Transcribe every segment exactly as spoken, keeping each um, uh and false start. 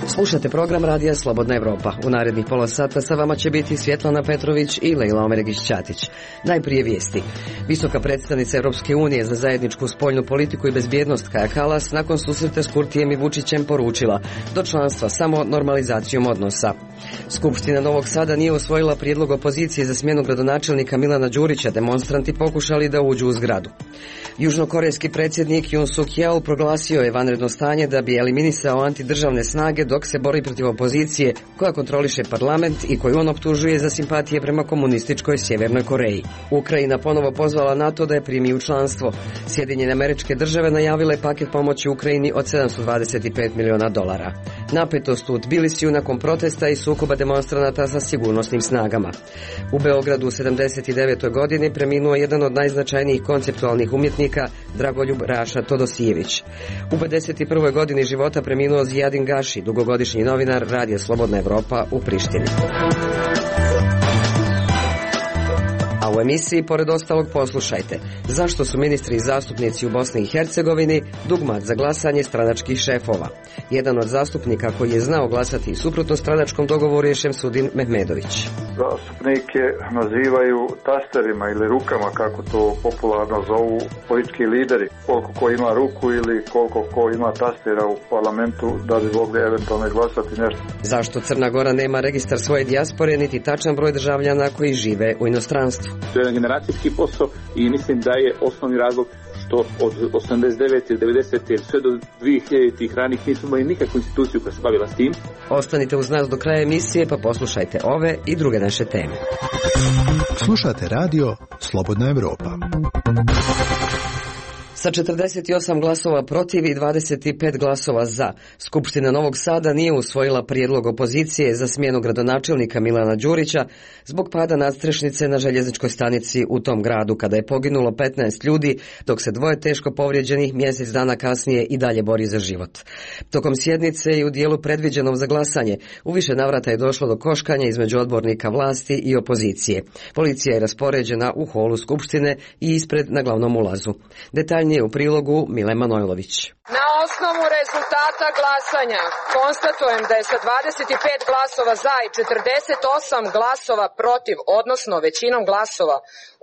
Slušate program Radija Slobodna Evropa. U narednih pola sata sa vama će biti Svjetlana Petrović i Lejla Omeregić-Ćatić. Najprije vijesti. Visoka predstavnica Europske unije za zajedničku spoljnu politiku i bezbjednost Kaja Kallas nakon susreta s Kurtijem i Vučićem poručila do članstva samo normalizacijom odnosa. Skupština Novog Sada nije usvojila prijedlog opozicije za smjenu gradonačelnika Milana Đurića, demonstranti pokušali da uđu u zgradu. Južnokorejski predsjednik Yoon Suk Yeol proglasio je vanredno stanje da bi eliminisao antidržavne snage dok se bori protiv opozicije koja kontroliše parlament i koju on optužuje za simpatije prema komunističkoj Sjevernoj Koreji. Ukrajina ponovo pozvala NATO da je primi u članstvo. Sjedinjene Američke Države najavile paket pomoći Ukrajini od sedamsto dvadeset pet miliona dolara. Napetost u Tbilisiju nakon protesta i sukoba demonstranata sa sigurnosnim snagama. U Beogradu u sedamdeset devetoj godini preminuo jedan od najznačajnijih konceptualnih umjetnika Dragoljub Raša Todosijević. U pedeset prvoj godini života preminuo Zijadin Gaši, dugogodišnji novinar Radija Slobodna Evropa u Prištini. A u emisiji, pored ostalog, poslušajte zašto su ministri i zastupnici u Bosni i Hercegovini dugmat za glasanje stranačkih šefova. Jedan od zastupnika koji je znao glasati suprotno stranačkom dogovoru je Šemsudin Mehmedović. Zastupnike nazivaju tasterima ili rukama, kako to popularno zovu politički lideri. Koliko ko ima ruku ili koliko ko ima tastera u parlamentu da bi mogli eventualno glasati nešto. Zašto Crna Gora nema registar svoje dijaspore niti tačan broj državljana koji žive u inostranstvu? To je jedan generacijski posao i mislim da je osnovni razlog što od osamdeset devete i devedesete sve do dvije hiljaditih ranih nismo imali nikakvu instituciju koja se bavila s tim. Ostanite uz nas do kraja emisije pa poslušajte ove i druge naše teme. Slušate radio Slobodna Evropa. Sa četrdeset osam glasova protiv i dvadeset pet glasova za, Skupština Novog Sada nije usvojila prijedlog opozicije za smjenu gradonačelnika Milana Đurića zbog pada nadstrešnice na željezničkoj stanici u tom gradu kada je poginulo petnaest ljudi, dok se dvoje teško povrijeđenih mjesec dana kasnije i dalje bori za život. Tokom sjednice i u dijelu predviđenom za glasanje, u više navrata je došlo do koškanja između odbornika vlasti i opozicije. Policija je raspoređena u holu Skupštine i ispred na glavnom ulazu. Detaljnije u prilogu Mile Manojlović. Na osnovu rezultata glasanja konstatujem da je sa dvadeset pet glasova za i četrdeset osam glasova protiv, odnosno većinom glasova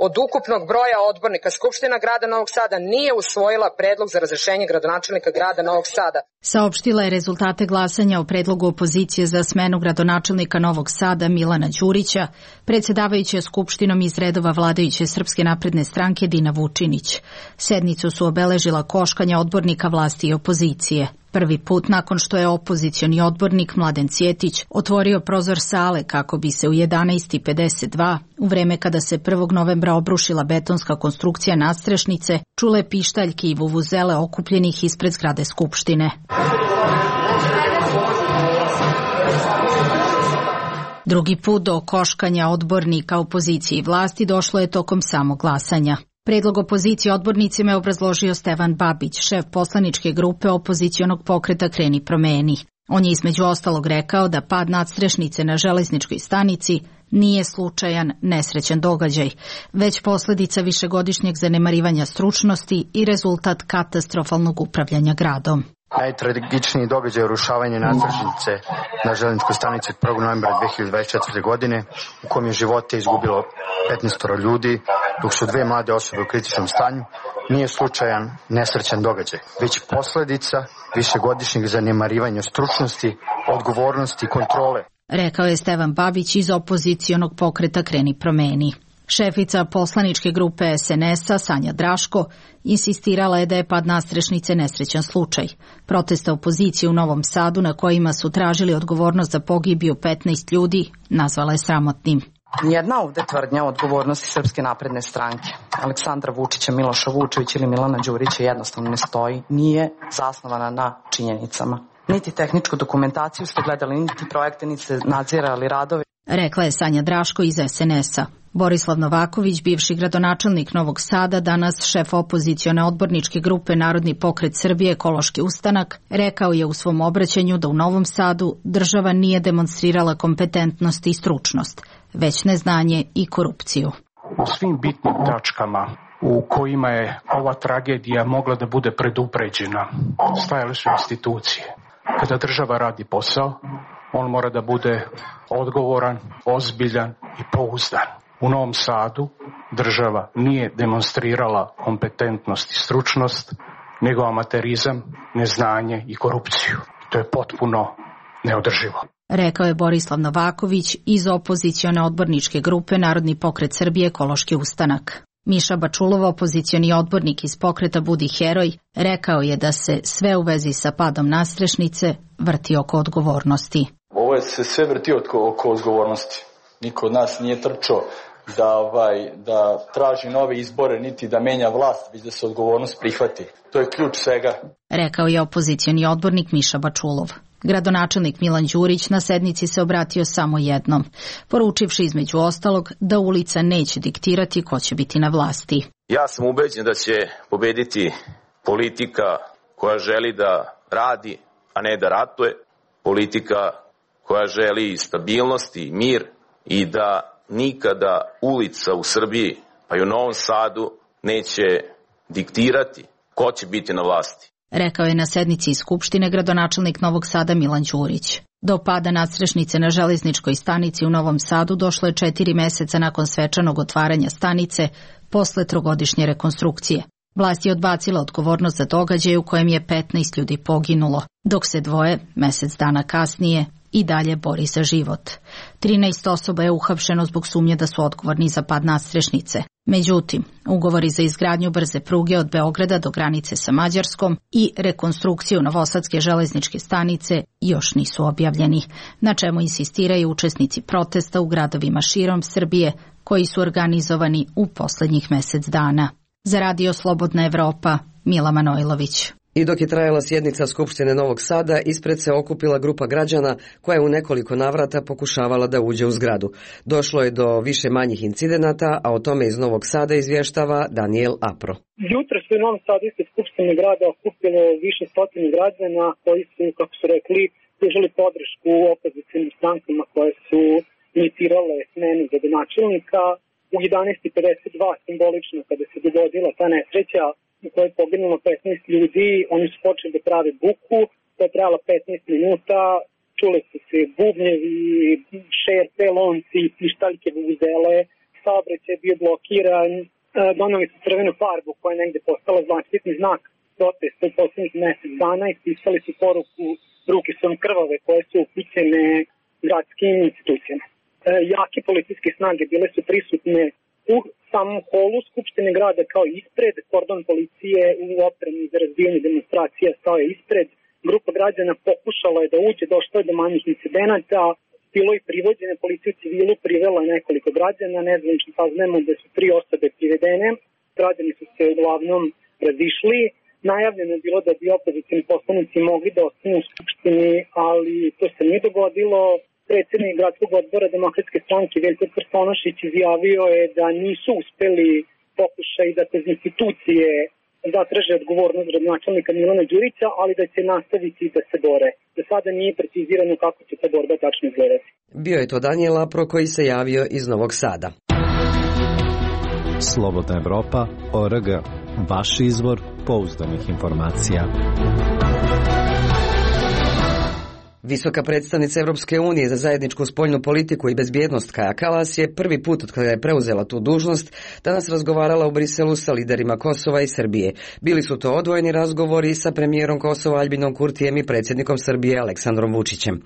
od ukupnog broja odbornika, Skupština grada Novog Sada nije usvojila predlog za razrješenje gradonačelnika grada Novog Sada. Saopštila je rezultate glasanja o predlogu opozicije za smenu gradonačelnika Novog Sada Milana Đurića, predsjedavajuća Skupštinom iz redova vladajuće Srpske napredne stranke Dina Vučinić. Sednicu su obeležila koškanja odbornika vlasti i opozicije. Prvi put nakon što je opozicioni odbornik Mladen Cjetić otvorio prozor sale kako bi se u jedanaest pedeset dva, u vreme kada se prvog novembra obrušila betonska konstrukcija nadstrešnice, čule pištaljke i vuvuzele okupljenih ispred zgrade Skupštine. Drugi put do koškanja odbornika opozicije i vlasti došlo je tokom samog glasanja. Predlog opozicije odbornicima je obrazložio Stevan Babić, šef poslaničke grupe opozicionog pokreta Kreni promeni. On je između ostalog rekao da pad nadstrešnice na železničkoj stanici nije slučajan, nesrećan događaj, već posljedica višegodišnjeg zanemarivanja stručnosti i rezultat katastrofalnog upravljanja gradom. Najtragičniji događaj je urušavanje nadstrešnice na željezničkoj stanici od prvog novembra dve hiljade dvadeset četvrte. godine, u kojem je živote izgubilo petnaest ljudi, dok su dve mlade osobe u kritičnom stanju, nije slučajan, nesrećan događaj, već posljedica višegodišnjeg zanemarivanja stručnosti, odgovornosti i kontrole. Rekao je Stevan Babić iz opozicionog pokreta Kreni promeni. Šefica poslaničke grupe es en es-a Sanja Draško insistirala je da je pad nadstrešnice nesrećan slučaj. Proteste opozicije u Novom Sadu na kojima su tražili odgovornost za pogibiju petnaest ljudi nazvala je sramotnim. Nijedna ovde tvrdnja o odgovornosti Srpske napredne stranke, Aleksandra Vučića, Miloša Vučevića ili Milana Đurića jednostavno ne stoji, nije zasnovana na činjenicama. Niti tehničku dokumentaciju ste gledali, niti projekte, niti ste nadzirali radove. Rekla je Sanja Draško iz es en es-a. Borislav Novaković, bivši gradonačelnik Novog Sada, danas šef opozicione odborničke grupe Narodni pokret Srbije Ekološki ustanak, rekao je u svom obraćanju da u Novom Sadu država nije demonstrirala kompetentnost i stručnost, već neznanje i korupciju. U svim bitnim tačkama u kojima je ova tragedija mogla da bude predupređena, stajale su institucije. Kada država radi posao, on mora da bude odgovoran, ozbiljan i pouzdan. U Novom Sadu država nije demonstrirala kompetentnost i stručnost, nego amaterizam, neznanje i korupciju. To je potpuno neodrživo. Rekao je Borislav Novaković iz opozicione odborničke grupe Narodni pokret Srbije Ekološki ustanak. Miša Bačulov, opozicioni odbornik iz pokreta Budi heroj, rekao je da se sve u vezi sa padom nadstrešnice vrti oko odgovornosti. Ovo se sve vrti oko, oko odgovornosti. Niko od nas nije trčao da, ovaj, da traži nove izbore, niti da menja vlast, već da se odgovornost prihvati. To je ključ svega. Rekao je opozicioni odbornik Miša Bačulov. Gradonačelnik Milan Đurić na sednici se obratio samo jednom, poručivši između ostalog da ulica neće diktirati ko će biti na vlasti. Ja sam ubeđen da će pobediti politika koja želi da radi, a ne da ratuje, politika koja želi stabilnost i mir i da nikada ulica u Srbiji, pa i u Novom Sadu, neće diktirati ko će biti na vlasti. Rekao je na sednici Skupštine gradonačelnik Novog Sada Milan Đurić. Do pada nadstrešnice na železničkoj stanici u Novom Sadu došlo je četiri meseca nakon svečanog otvaranja stanice posle trogodišnje rekonstrukcije. Vlast je odbacila odgovornost za događaj u kojem je petnaest ljudi poginulo, dok se dvoje, mesec dana kasnije, i dalje bori za život. trinaest osoba je uhapšeno zbog sumnje da su odgovorni za pad nadstrešnice. Međutim, ugovori za izgradnju brze pruge od Beograda do granice sa Mađarskom i rekonstrukciju Novosadske železničke stanice još nisu objavljeni, na čemu insistiraju učesnici protesta u gradovima širom Srbije koji su organizovani u poslednjih mesec dana. Za Radio Slobodna Evropa, Mila Manojlović. I dok je trajala sjednica Skupštine Novog Sada, ispred se okupila grupa građana koja je u nekoliko navrata pokušavala da uđe u zgradu. Došlo je do više manjih incidenata, a o tome iz Novog Sada izvještava Daniel Apro. Jutro se u Novom Sadu ispred Skupštine grada okupilo više stotine građana koji su, kako su rekli, pružili podršku opozicijnim strankama koje su inicirale smenu gradonačelnika. U jedanaest i pedeset dva simbolično, kada se dogodila ta nesreća u kojoj je poginulo petnaest ljudi, oni su počeli da prave buku, to je trajalo petnaest minuta, čule su se bubnjevi, šerpe, lonci, pištaljke, vuvuzele, saobraćaj je bio blokiran, doneli su crvenu farbu koja je negde postala zaštitni znak protesta u poslednjih mesec dana i pisali su poruku ruke su vam krvave koje su upućene gradskim institucijama. Jake policijske snage bile su prisutne u samom holu Skupštine grada kao ispred, kordon policije u opremi za razbijanje demonstracija stao je ispred, grupa građana pokušala je da uđe, došlo je do manjih incidenata, bilo i privođene, policija u civilu privela nekoliko građana, nezvanično saznajemo da su tri osobe privedene, građani su se uglavnom razišli, najavljeno je bilo da bi opozicijni poslanici mogli da ostanu u Skupštini, ali to se nije dogodilo. Predsjednik gradskog odbora Demokratske stranke Veljko Krstonošić izjavio je da nisu uspeli pokušaj da kroz institucije zatraže odgovornost gradonačelnika Milana Đurića, ali da će nastaviti da se bore. Do sada nije precizirano kako će ta borba tačno izgledati. Bio je to Daniel Apro koji se javio iz Novog Sada. Slobodna Evropa, O R G, vaš izvor pouzdanih informacija. Visoka predstavnica Europske unije za zajedničku spoljnu politiku i bezbjednost Kaja Kallas je prvi put od kada je preuzela tu dužnost danas razgovarala u Briselu sa liderima Kosova i Srbije. Bili su to odvojeni razgovori sa premijerom Kosova Albinom Kurtijem i predsjednikom Srbije Aleksandrom Vučićem.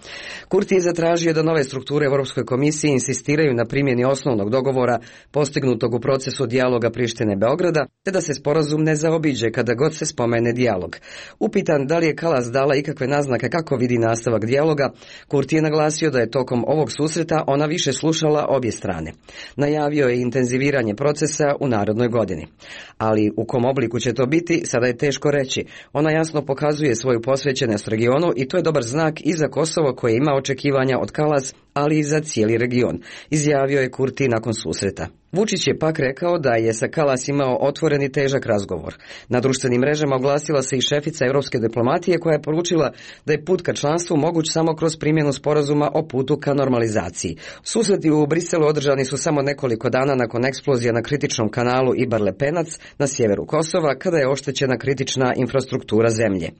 Kurti je zatražio da nove strukture Europskoj komisiji insistiraju na primjeni osnovnog dogovora postignutog u procesu dijaloga Prištine Beograda, te da se sporazum ne zaobiđe kada god se spomene dijalog. Upitan da li je Kallas dala ikakve naznake kako vidi nastavak dijaloga, Kurti je naglasio da je tokom ovog susreta ona više slušala obje strane. Najavio je intenziviranje procesa u narednoj godini. Ali u kom obliku će to biti, sada je teško reći. Ona jasno pokazuje svoju posvećenost regionu i to je dobar znak i za Kosovo koje ima očekivanja od Kallas, ali i za cijeli region, izjavio je Kurti nakon susreta. Vučić je pak rekao da je sa Kalas imao otvoren i težak razgovor. Na društvenim mrežama oglasila se i šefica evropske diplomatije koja je poručila da je put ka članstvu moguć samo kroz primjenu sporazuma o putu ka normalizaciji. Susreti u Briselu održani su samo nekoliko dana nakon eksplozija na kritičnom kanalu Ibar-Lepenac na sjeveru Kosova, kada je oštećena kritična infrastruktura zemlje.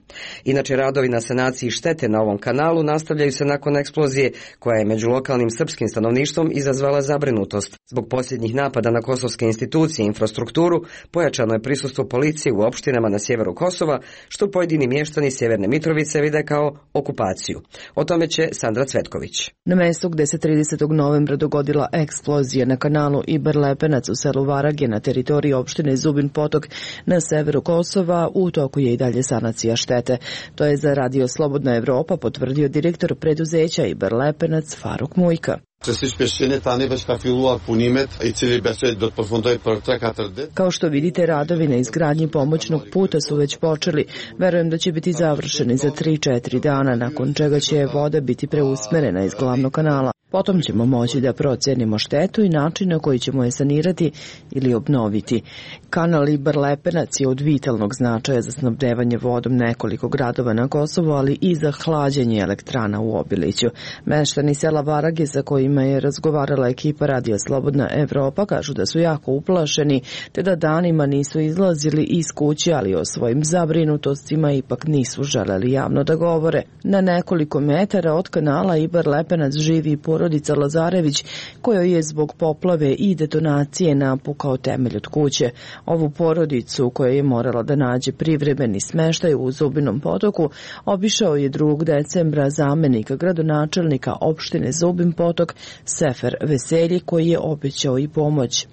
Inače, radovi na sanaciji štete na ovom kanalu nastavljaju se nakon eksplozije koja je među lokalnim srpskim stanovništvom izazvala zabrinutost. Zbog posljednjih napada na kosovske institucije i infrastrukturu pojačano je prisustvo policije u opštinama na sjeveru Kosova, što pojedini mještani Sjeverne Mitrovice vide kao okupaciju. O tome će Sandra Cvetković. Na mjestu gde se tridesetog novembra dogodila eksplozija na kanalu Ibar-Lepenac u selu Varage na teritoriji opštine Zubin Potok na severu Kosova u toku je i dalje sanacija štete. To je za Radio Slobodna Evropa potvrdio direktor preduzeća Ibar-Lepenac Faruk Mujka. Kao što vidite, radovi na izgradnji pomoćnog puta su već počeli. Verujem da će biti završeni za tri četiri dana, nakon čega će voda biti preusmerena iz glavnog kanala. Potom ćemo moći da procenimo štetu i način na koji ćemo je sanirati ili obnoviti. Kanal Ibar-Lepenac je od vitalnog značaja za snabdevanje vodom nekoliko gradova na Kosovu, ali i za hlađenje elektrana u Obiliću. Meštani sela Varage, sa kojima je razgovarala ekipa Radija Slobodna Evropa, kažu da su jako uplašeni, te da danima nisu izlazili iz kuće, ali o svojim zabrinutostima ipak nisu želeli javno da govore. Na nekoliko metara od kanala Ibar-Lepenac živi porodica Lazarević, kojoj je zbog poplave i detonacije napukao temelj od kuće. Ovu porodicu, koja je morala da nađe privremeni smeštaj u Zubinom Potoku, obišao je drugog decembra zamenika gradonačelnika opštine Zubin Potok Sefer Veselji, koji je obećao i pomoć.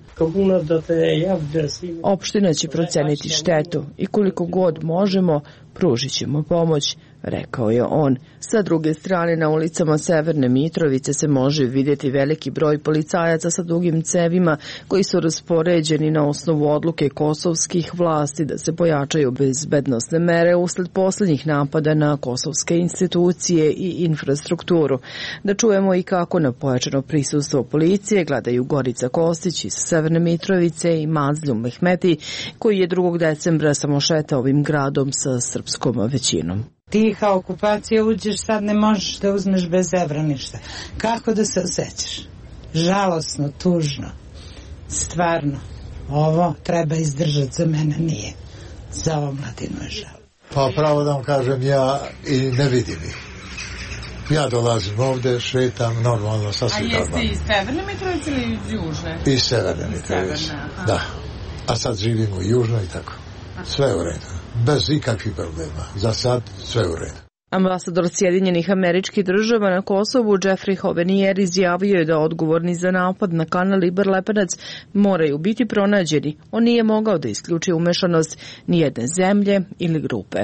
Opština će proceniti štetu i koliko god možemo pružit ćemo pomoć, rekao je on. Sa druge strane, na ulicama Severne Mitrovice se može vidjeti veliki broj policajaca sa dugim cevima koji su raspoređeni na osnovu odluke kosovskih vlasti da se pojačaju bezbednosne mere usled posljednjih napada na kosovske institucije i infrastrukturu. Da čujemo i kako na pojačano prisustvo policije gledaju Gorica Kostić iz Severne Mitrovice i Mazljum Mehmeti, koji je drugog decembra samo šetao ovim gradom sa srpskom većinom. Tiha okupacija, uđeš, sad ne možeš da uzmeš bez evra ništa. Kako da se osjećaš? Žalosno, tužno. Stvarno, ovo treba izdržati, za mene nije. Za omladinu je žal. Pa pravo da vam kažem, ja i ne vidim ih. Ja dolazim ovde, šetam normalno, sasvim normalno. A jeste iz Severne Mitrovice ili iz Južne? Iz Severne Mitrovice, da. A sad živimo u Južnoj i tako. Sve u redu. Bez ikakvih problema. Za sad sve u redu. Ambasador Sjedinjenih Američkih Država na Kosovu Jeffrey Hovenier izjavio je da odgovorni za napad na kanal Ibar-Lepenac moraju biti pronađeni. On nije mogao da isključi umešanost nijedne zemlje ili grupe.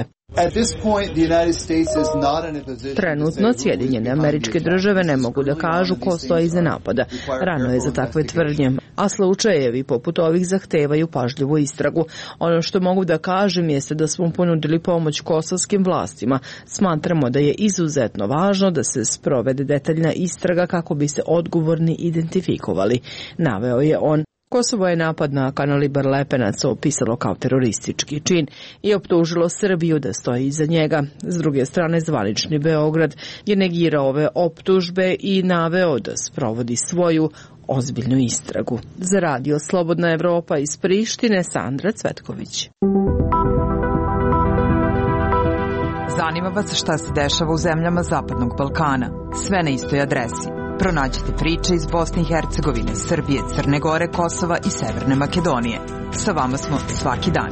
Trenutno Sjedinjene Američke Države ne mogu da kažu ko stoji iza napada. Rano je za takve tvrdnje, a slučajevi poput ovih zahtevaju pažljivu istragu. Ono što mogu da kažem jeste da smo ponudili pomoć kosovskim vlastima. Smatramo da je izuzetno važno da se sprovede detaljna istraga kako bi se odgovorni identifikovali, naveo je on. Kosovo je napad na kanal Ibar-Lepenac opisalo kao teroristički čin i optužilo Srbiju da stoji iza njega. S druge strane, zvanični Beograd je negirao ove optužbe i naveo da sprovodi svoju ozbiljnu istragu. Za Radio Slobodna Evropa iz Prištine, Sandra Cvetković. Zanima vas šta se dešava u zemljama Zapadnog Balkana? Sve na istoj adresi. Pronađite priče iz Bosne i Hercegovine, Srbije, Crne Gore, Kosova i Severne Makedonije. Sa vama smo svaki dan.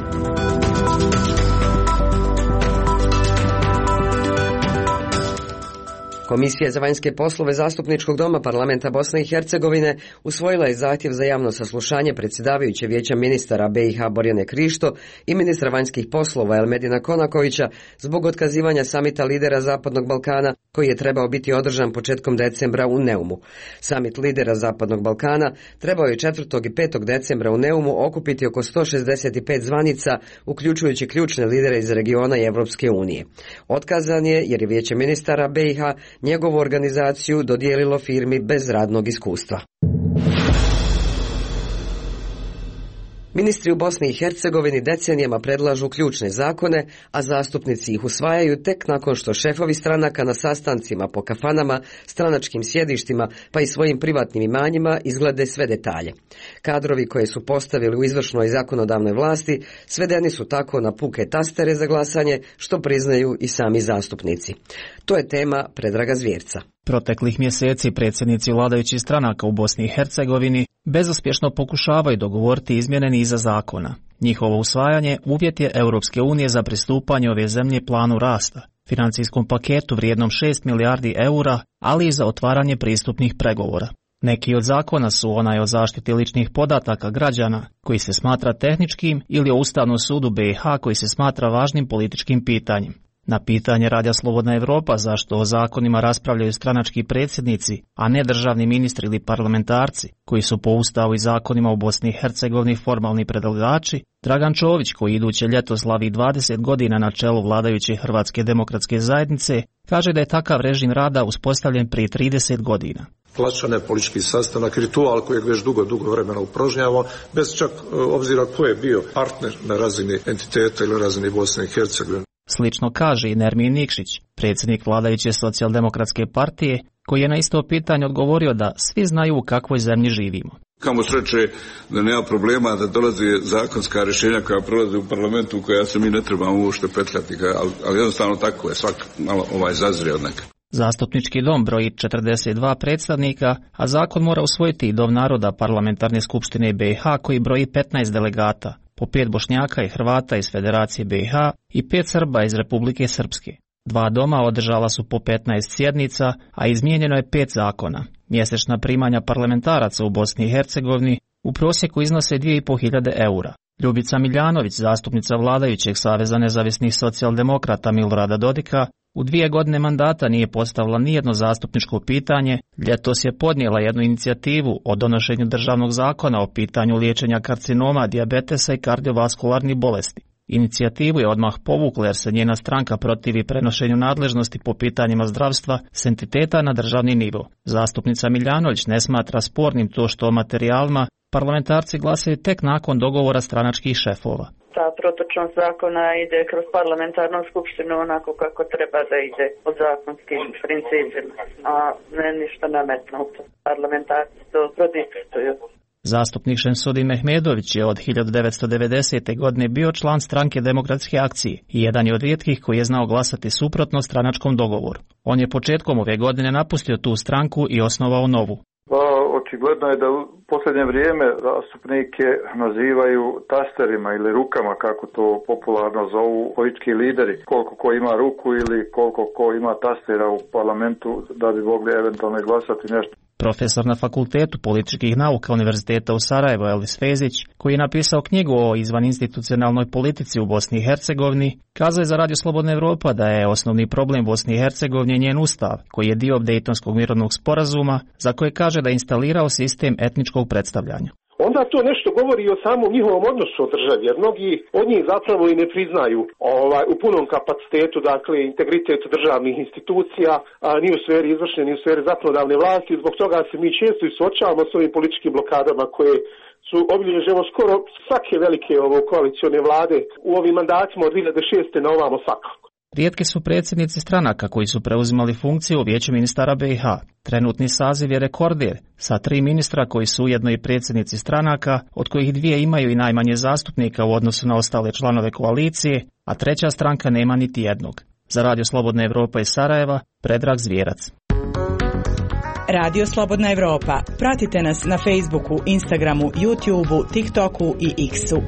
Komisija za vanjske poslove Zastupničkog doma Parlamenta Bosne i Hercegovine usvojila je zahtjev za javno saslušanje predsjedavajuće vijeća ministara B i H Borjane Krišto i ministra vanjskih poslova Elmedina Konakovića zbog otkazivanja samita lidera Zapadnog Balkana koji je trebao biti održan početkom decembra u Neumu. Samit lidera Zapadnog Balkana trebao je četvrtog i petog decembra u Neumu okupiti oko sto šezdeset pet zvanica, uključujući ključne lidere iz regiona i Evropske unije. Otkazan je jer je vijeće ministara B i H njegovu organizaciju dodijelilo firmi bez radnog iskustva. Ministri u Bosni i Hercegovini decenijama predlažu ključne zakone, a zastupnici ih usvajaju tek nakon što šefovi stranaka na sastancima po kafanama, stranačkim sjedištima pa i svojim privatnim imanjima izglede sve detalje. Kadrovi koje su postavili u izvršnoj zakonodavnoj vlasti svedeni su tako na puke tastere za glasanje, što priznaju i sami zastupnici. To je tema Predraga Zvjerca. Proteklih mjeseci predsjednici vladajućih stranaka u Bosni i Hercegovini bezuspješno pokušavaju dogovoriti izmjene niza zakona. Njihovo usvajanje uvjet je Europske unije za pristupanje ove zemlje planu rasta, financijskom paketu vrijednom šest milijardi eura, ali i za otvaranje pristupnih pregovora. Neki od zakona su onaj o zaštiti ličnih podataka građana, koji se smatra tehničkim, ili o Ustavnom sudu B i H koji se smatra važnim političkim pitanjem. Na pitanje Radija Slobodna Evropa zašto o zakonima raspravljaju stranački predsjednici, a ne državni ministri ili parlamentarci, koji su po Ustavu i zakonima u Bosni i Hercegovini formalni predlagači, Dragan Čović, koji iduće ljeto slavi dvadeset godina na čelu vladajuće Hrvatske demokratske zajednice, kaže da je takav režim rada uspostavljen prije trideset godina. Plaćan je politički sastanak, ritual kojeg već dugo, dugo vremena upražnjavamo, bez čak obzira ko je bio partner na razini entiteta ili razini Bosne i Hercegovine. Slično kaže i Nermin Nikšić, predsjednik vladajuće socijaldemokratske partije, koji je na isto pitanje odgovorio da svi znaju u kakvoj zemlji živimo. Kamo sreće da nema problema da dolazi zakonska rješenja koja prolaze u parlamentu u koja se mi ne trebamo uopšte petljati, ali, ali jednostavno tako je, svak malo ovaj zazrije od neka. Zastupnički dom broji četrdeset dva predstavnika, a zakon mora usvojiti i Dom naroda Parlamentarne skupštine B i H koji broji petnaest delegata, po pet Bošnjaka i Hrvata iz Federacije B i H i pet Srba iz Republike Srpske. Dva doma održala su po petnaest sjednica, a izmijenjeno je pet zakona. Mjesečna primanja parlamentaraca u Bosni i Hercegovini u prosjeku iznose dvije i po hiljade eura. Ljubica Miljanović, zastupnica vladajućeg Saveza nezavisnih socijaldemokrata Milorada Dodika, u dvije godine mandata nije postavila nijedno zastupničko pitanje, ljetos je podnijela jednu inicijativu o donošenju državnog zakona o pitanju liječenja karcinoma, dijabetesa i kardiovaskularnih bolesti. Inicijativu je odmah povukla jer se njena stranka protivi prenošenju nadležnosti po pitanjima zdravstva s entiteta na državni nivo. Zastupnica Miljanović ne smatra spornim to što o materijalima parlamentarci glasaju tek nakon dogovora stranačkih šefova. Ta protočnost zakona ide kroz parlamentarnu skupštinu onako kako treba da ide od zakonskim principima, a ne ništa nametnuto. Parlamentarci to prodiktuju. Zastupnik Šemsudin Mehmedović je od hiljadu devetsto devedesete. godine bio član stranke Demokratske akcije i jedan je od rijetkih koji je znao glasati suprotno stranačkom dogovoru. On je početkom ove godine napustio tu stranku i osnovao novu. Očigledno je da u posljednje vrijeme zastupnike nazivaju tasterima ili rukama, kako to popularno zovu politički lideri. Koliko ko ima ruku ili koliko ko ima tastera u parlamentu da bi mogli eventualno glasati nešto. Profesor na Fakultetu političkih nauka Univerziteta u Sarajevo Elvis Fezić, koji je napisao knjigu o izvaninstitucionalnoj politici u Bosni i Hercegovini, kazao je za Radio Slobodna Evropa da je osnovni problem Bosni i Hercegovine njen ustav, koji je dio Dejtonskog mirovnog sporazuma, za koje kaže da je instalirao sistem etničkog predstavljanja. Onda to nešto govori o samom njihovom odnosu o državi, jer mnogi od njih zapravo i ne priznaju ovaj, u punom kapacitetu, dakle, integritet državnih institucija, a, ni u sferi izvršne, ni u sferi zakonodavne vlasti. Zbog toga se mi često i suočavamo s ovim političkim blokadama koje su obilježile skoro svake velike ovo koalicione vlade u ovim mandatima od dvije hiljade šeste. na ovamo svakako. Rijetki su predsjednici stranaka koji su preuzimali funkciju u Vijeću ministara B i H. Trenutni saziv je rekorder, sa tri ministra koji su ujedno i predsjednici stranaka, od kojih dvije imaju i najmanje zastupnika u odnosu na ostale članove koalicije, a treća stranka nema niti jednog. Za Radio Slobodna Evropa iz Sarajeva, Predrag Zvjerac. Radio Slobodna Evropa. Pratite nas na Facebooku, Instagramu, YouTubeu, TikToku i X-u.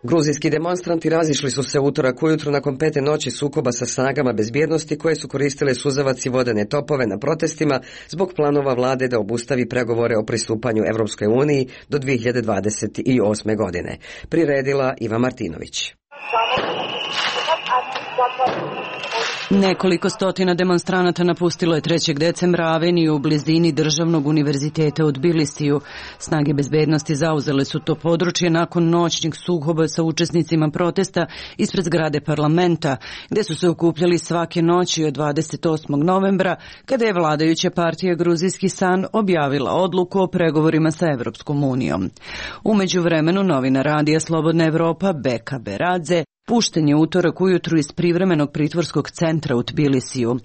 Gruzijski demonstranti razišli su se utorak ujutro nakon pete noći sukoba sa snagama bezbjednosti koje su koristile suzavac i vodene topove na protestima zbog planova vlade da obustavi pregovore o pristupanju Evropskoj uniji do dvije hiljade dvadeset osme. godine. Priredila Iva Martinović. Nekoliko stotina demonstranata napustilo je trećeg decembra aveniju u blizini Državnog univerziteta u Tbilisiju. Snage bezbednosti zauzele su to područje nakon noćnih sukoba sa učesnicima protesta ispred zgrade parlamenta, gde su se okupljali svake noći od dvadeset osmog novembra, kada je vladajuća partija Gruzijski san objavila odluku o pregovorima sa Evropskom unijom. U međuvremenu novinar radija Slobodna Evropa Beka Beradze pušten je utorak ujutru iz privremenog pritvorskog centra u Tbilisiju.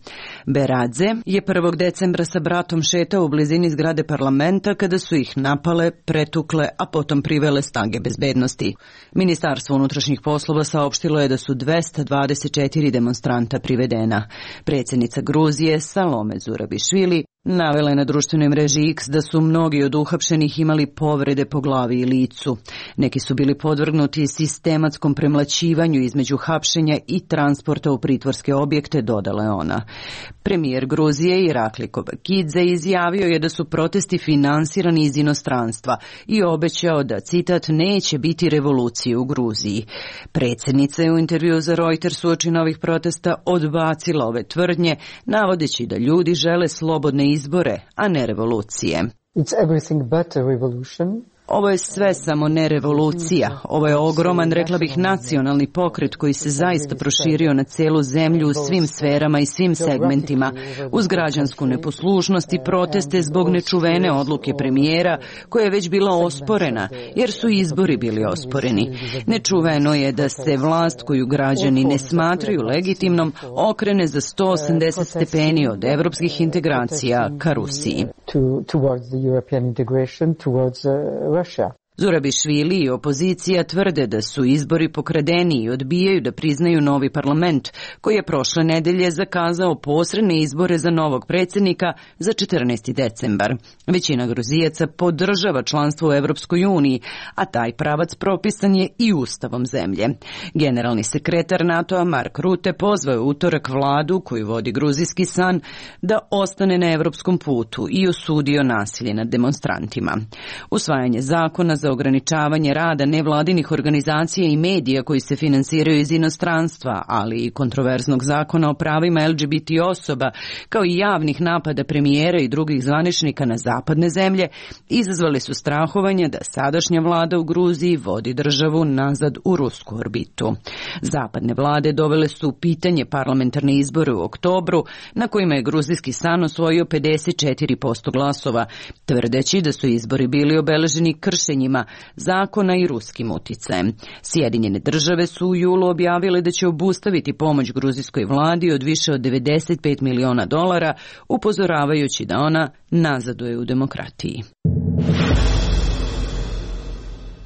Beradze je prvog decembra sa bratom šetao u blizini zgrade parlamenta kada su ih napale, pretukle, a potom privele snage bezbednosti. Ministarstvo unutrašnjih poslova saopštilo je da su dvesta dvadeset četiri demonstranta privedena. Predsjednica Gruzije Salome Zurabišvili navela je na društvenoj mreži X da su mnogi od uhapšenih imali povrede po glavi i licu. Neki su bili podvrgnuti sistematskom premlaćivanju između hapšenja i transporta u pritvorske objekte, dodala je ona. Premijer Gruzije Irakli Kobakidze izjavio je da su protesti finansirani iz inostranstva i obećao da, citat, neće biti revolucije u Gruziji. Predsjednica je u intervju za Reuters uoči novih protesta odbacila ove tvrdnje, navodeći da ljudi žele slobodne izbore, a ne revolucije. It's everything but a revolution. Ovo je sve samo ne revolucija. Ovo je ogroman, rekla bih, nacionalni pokret koji se zaista proširio na celu zemlju u svim sferama i svim segmentima, uz građansku neposlušnost i proteste zbog nečuvene odluke premijera, koja je već bila osporena, jer su izbori bili osporeni. Nečuveno je da se vlast koju građani ne smatraju legitimnom okrene za sto osamdeset stepeni od evropskih integracija ka Rusiji. Russia. Zurabišvili i opozicija tvrde da su izbori pokradeni i odbijaju da priznaju novi parlament, koji je prošle nedelje zakazao posredne izbore za novog predsjednika za četrnaesti decembar. Većina Gruzijaca podržava članstvo u Evropskoj uniji, a taj pravac propisan je i ustavom zemlje. Generalni sekretar NATO-a Mark Rutte pozvao je utorak vladu koju vodi Gruzijski san da ostane na evropskom putu i osudio nasilje nad demonstrantima. Usvajanje zakona za ograničavanje rada nevladinih organizacija i medija koji se finansiraju iz inostranstva, ali i kontroverznog zakona o pravima L G B T osoba, kao i javnih napada premijera i drugih zvaničnika na zapadne zemlje, izazvali su strahovanje da sadašnja vlada u Gruziji vodi državu nazad u rusku orbitu. Zapadne vlade dovele su u pitanje parlamentarne izbore u oktobru, na kojima je Gruzijski san osvojio pedeset četiri posto glasova, tvrdeći da su izbori bili obeleženi kršenjima zakona i ruskim uticajem. Sjedinjene države su u julu objavile da će obustaviti pomoć gruzijskoj vladi od više od devedeset pet miliona dolara, upozoravajući da ona nazaduje u demokratiji.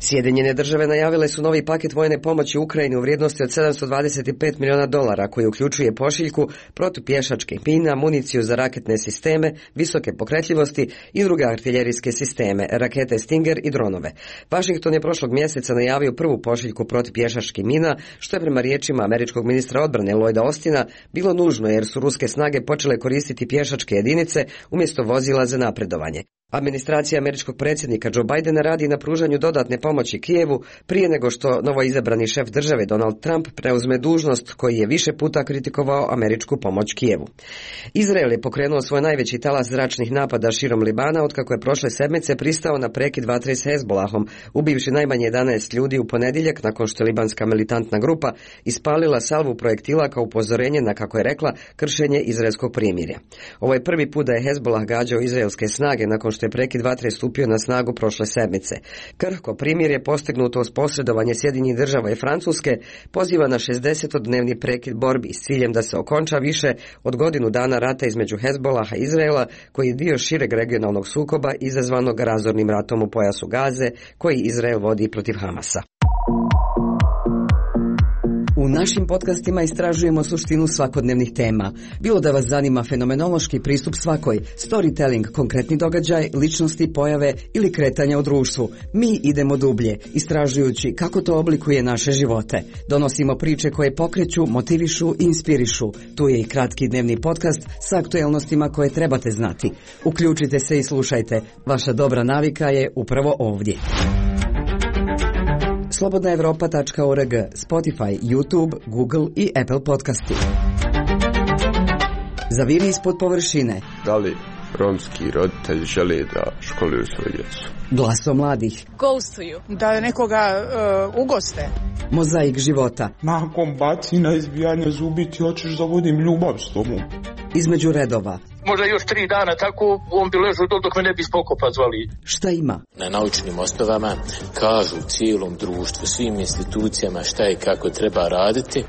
Sjedinjene države najavile su novi paket vojne pomoći Ukrajini u vrijednosti od sedamsto dvadeset pet miliona dolara, koji uključuje pošiljku, protupješačkih mina, municiju za raketne sisteme, visoke pokretljivosti i druge artiljerijske sisteme, rakete Stinger i dronove. Washington je prošlog mjeseca najavio prvu pošiljku protupješačkih mina, što je prema riječima američkog ministra odbrane Lloyda Austina bilo nužno jer su ruske snage počele koristiti pješačke jedinice umjesto vozila za napredovanje. Administracija američkog predsjednika Joe Bidena radi na pružanju dodatne pomoći Kijevu prije nego što novoizabrani šef države Donald Trump preuzme dužnost koji je više puta kritikovao američku pomoć Kijevu. Izrael je pokrenuo svoj najveći talas zračnih napada širom Libana otkako je prošle sedmice pristao na prekid vatre s Hezbolahom, ubivši najmanje jedanaest ljudi u ponedjeljak nakon što je libanska militantna grupa ispalila salvu projektila kao upozorenje na, kako je rekla, kršenje izraelskog primirja. Ovo je prvi put da je Hezbolah gađao izraelske snage nakon što je prekid vatre stupio na snagu prošle sedmice. Krhko primirje postignuto uz posredovanje Sjedinjenih država i Francuske poziva na šezdesetodnevni prekid borbi s ciljem da se okonča više od godinu dana rata između Hezbolaha i Izraela, koji je dio šireg regionalnog sukoba izazvanog razornim ratom u pojasu Gaze, koji Izrael vodi protiv Hamasa. U našim podcastima istražujemo suštinu svakodnevnih tema. Bilo da vas zanima fenomenološki pristup svakoj, storytelling, konkretni događaj, ličnosti, pojave ili kretanja u društvu, mi idemo dublje, istražujući kako to oblikuje naše živote. Donosimo priče koje pokreću, motivišu i inspirišu. Tu je i kratki dnevni podcast sa aktuelnostima koje trebate znati. Uključite se i slušajte. Vaša dobra navika je upravo ovdje. slobodna evropa tačka org, Spotify, YouTube, Google i Apple podcasti. Zaviri ispod površine. Da li romski roditelji žele da školuju svoju djecu? Glaso mladih. Ghostuju. Da nekoga uh, ugoste. Mozaik života. Nakon bacina izbijanja zubi ti hoćeš da vodim ljubav s tobom. Između redova. Možda još tri dana tako on bi ležao dok, dok me ne bi spokopa zvali. Šta ima? Na naučnim osnovama kažu cijelom društvu, svim institucijama šta i kako treba raditi.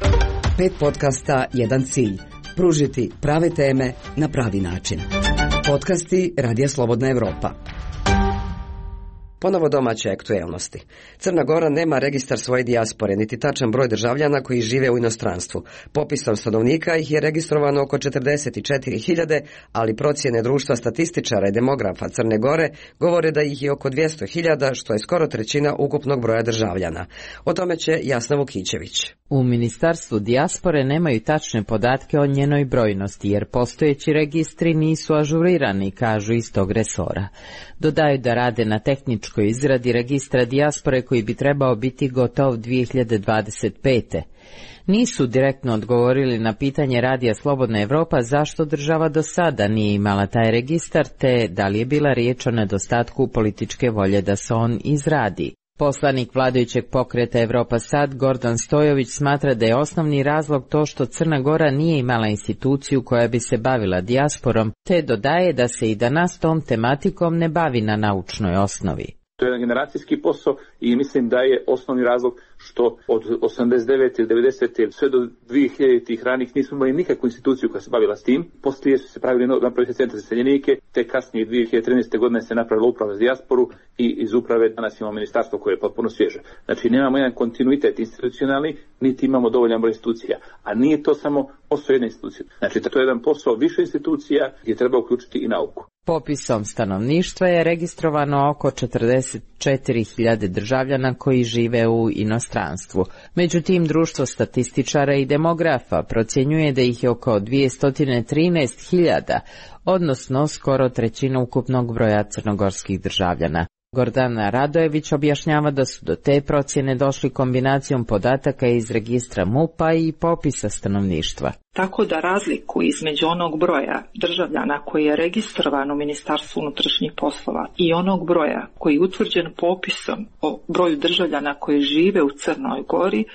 Pet podcasta, jedan cilj. Pružiti prave teme na pravi način. Podcasti Radija Slobodna Evropa. Ponovo domaće aktuelnosti. Crna Gora nema registar svoje dijaspore, niti tačan broj državljana koji žive u inostranstvu. Popisom stanovnika ih je registrovano oko četrdeset četiri hiljade, ali procjene društva statističara i demografa Crne Gore govore da ih je oko dvjesto hiljada, što je skoro trećina ukupnog broja državljana. O tome će Jasna Vukićević. U Ministarstvu dijaspore nemaju tačne podatke o njenoj brojnosti, jer postojeći registri nisu ažurirani, kažu iz tog resora. Dodaju da rade na tehničkoj izradi registra dijaspore koji bi trebao biti gotov dvije hiljade dvadeset pete. Nisu direktno odgovorili na pitanje Radija Slobodna Evropa zašto država do sada nije imala taj registar, te da li je bila riječ o nedostatku političke volje da se on izradi. Poslanik vladajućeg pokreta Evropa Sad, Gordan Stojović, smatra da je osnovni razlog to što Crna Gora nije imala instituciju koja bi se bavila dijasporom, te dodaje da se i danas tom tematikom ne bavi na naučnoj osnovi. To je jedan generacijski posao i mislim da je osnovni razlog što od osamdeset devete ili devedesete sve do dvije hiljaditih ranih nismo imali nikakvu instituciju koja se bavila s tim. Poslije su se pravili napravili se centar za iseljenike, te kasnije dvije hiljade trinaeste. godine se napravila uprava za dijasporu i iz uprave danas imamo ministarstvo koje je potpuno svježe. Znači nemamo jedan kontinuitet institucionalni, niti imamo dovoljan broj institucija. A nije to samo posao jedne institucije. Znači to je jedan posao više institucija gdje treba uključiti i nauku. Popisom stanovništva je registrovano oko četrdeset četiri hiljade državljana koji žive u inostranstvu. Međutim, društvo statističara i demografa procjenjuje da ih je oko dvjesto trinaest hiljada, odnosno skoro trećina ukupnog broja crnogorskih državljana. Gordana Radojević objašnjava da su do te procjene došli kombinacijom podataka iz registra M U P-a i popisa stanovništva. Tako da razliku između onog broja državljana koji je registrovan u Ministarstvu unutrašnjih poslova i onog broja koji je utvrđen popisom o broju državljana koji žive u Crnoj Gori,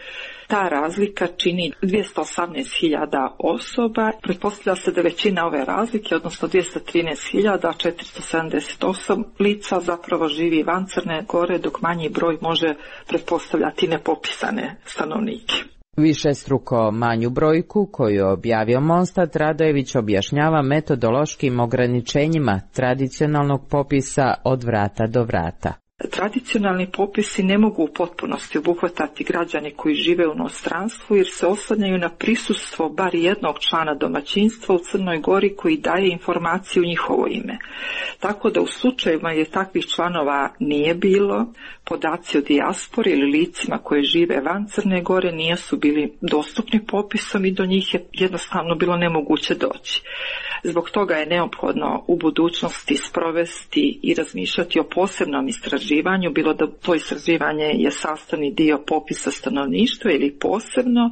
ta razlika čini dvjesto osamnaest hiljada osoba. Pretpostavlja se da većina ove razlike, odnosno dvjesto trinaest hiljada četiristo sedamdeset osam lica zapravo živi van Crne Gore, dok manji broj može pretpostavljati nepopisane stanovnike. Višestruko manju brojku koju je objavio Monstat, Radojević objašnjava metodološkim ograničenjima tradicionalnog popisa od vrata do vrata. Tradicionalni popisi ne mogu u potpunosti obuhvatati građane koji žive u inostranstvu jer se oslanjaju na prisustvo bar jednog člana domaćinstva u Crnoj Gori koji daje informaciju u njihovo ime. Tako da u slučajevima je takvih članova nije bilo, podaci o dijaspori ili licima koje žive van Crne Gore nisu bili dostupni popisom i do njih je jednostavno bilo nemoguće doći. Zbog toga je neophodno u budućnosti sprovesti i razmišljati o posebnom istraživanju, bilo da to istraživanje je sastavni dio popisa stanovništva ili posebno,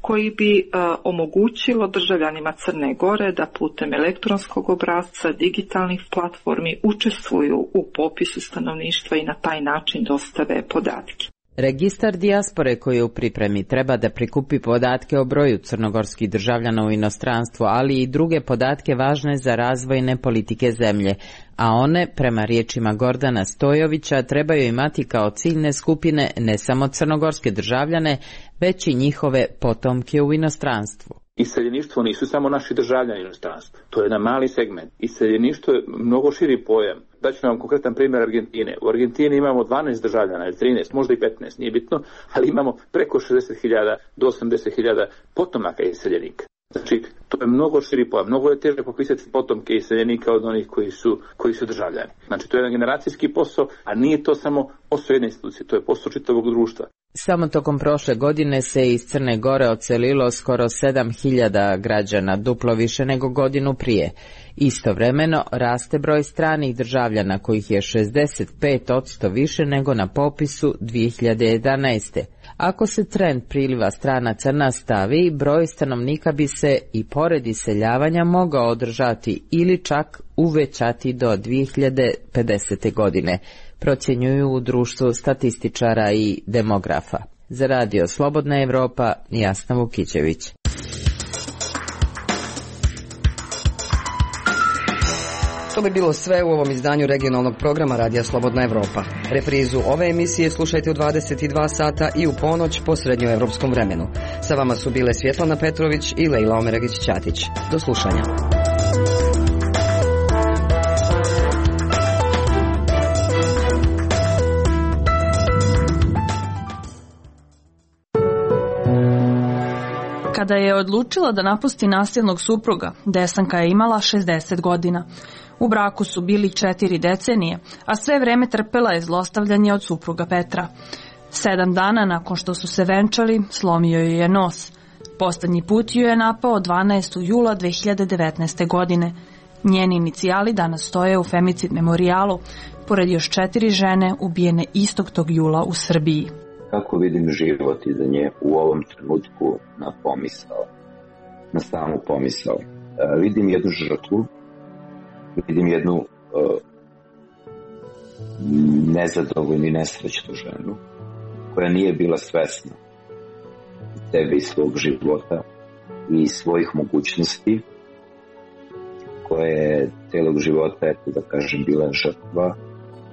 koji bi uh, omogućilo državljanima Crne Gore da putem elektronskog obrasca, digitalnih platformi učestvuju u popisu stanovništva i na taj način dostave podatke. Registar dijaspore koji je u pripremi treba da prikupi podatke o broju crnogorskih državljana u inostranstvu, ali i druge podatke važne za razvojne politike zemlje, a one, prema riječima Gordana Stojovića, trebaju imati kao ciljne skupine ne samo crnogorske državljane, već i njihove potomke u inostranstvu. Iseljeništvo nisu samo naši državljani u inostranstvu. To je jedan mali segment. Iseljeništvo je mnogo širi pojam. Daću vam konkretan primjer Argentine. U Argentini imamo dvanaest državljana ili trinaest, možda i petnaest, nije bitno, ali imamo preko šezdeset hiljada do osamdeset hiljada potomaka iseljenika. Znači, to je mnogo širi pojam. Mnogo je teže popisati potomke iseljenika od onih koji su, koji su državljani. Znači, to je jedan generacijski posao, a nije to samo posao jedne institucije, to je posao čitavog društva. Samo tokom prošle godine se iz Crne Gore odselilo skoro sedam hiljada građana, duplo više nego godinu prije. Istovremeno raste broj stranih državljana kojih je šezdeset pet posto više nego na popisu dvije hiljade jedanaeste. Ako se trend priliva stranaca nastavi, broj stanovnika bi se i pored iseljavanja mogao održati ili čak uvećati do dvije hiljade pedesete. godine, procjenjuju u društvu statističara i demografa. Za radio Slobodna Evropa, Jasna Vukićević. To bi bilo sve u ovom izdanju regionalnog programa Radija Slobodna Evropa. Reprizu ove emisije slušajte u dvadeset dva sata i u ponoć po srednjoevropskom vremenu. Sa vama su bile Svjetlana Petrović i Lejla Omeragić-Ćatić. Do slušanja. Kada je odlučila da napusti nasilnog supruga, Desanka je imala šezdeset godina. U braku su bili četiri decenije, a sve vreme trpela je zlostavljanje od supruga Petra. Sedam dana nakon što su se venčali, slomio joj je nos. Poslednji put ju je napao dvanaestog jula dve hiljade devetnaeste. godine. Njeni inicijali danas stoje u femicid memorijalu, pored još četiri žene ubijene istog tog jula u Srbiji. Kako vidim život iza nje u ovom trenutku na pomisao, na samu pomisao. E, vidim jednu žrtvu, vidim jednu e, nezadovoljnu i nesrećnu ženu koja nije bila svesna sebe i svog života i svojih mogućnosti, koja je celog života, eto da kažem, bila žrtva,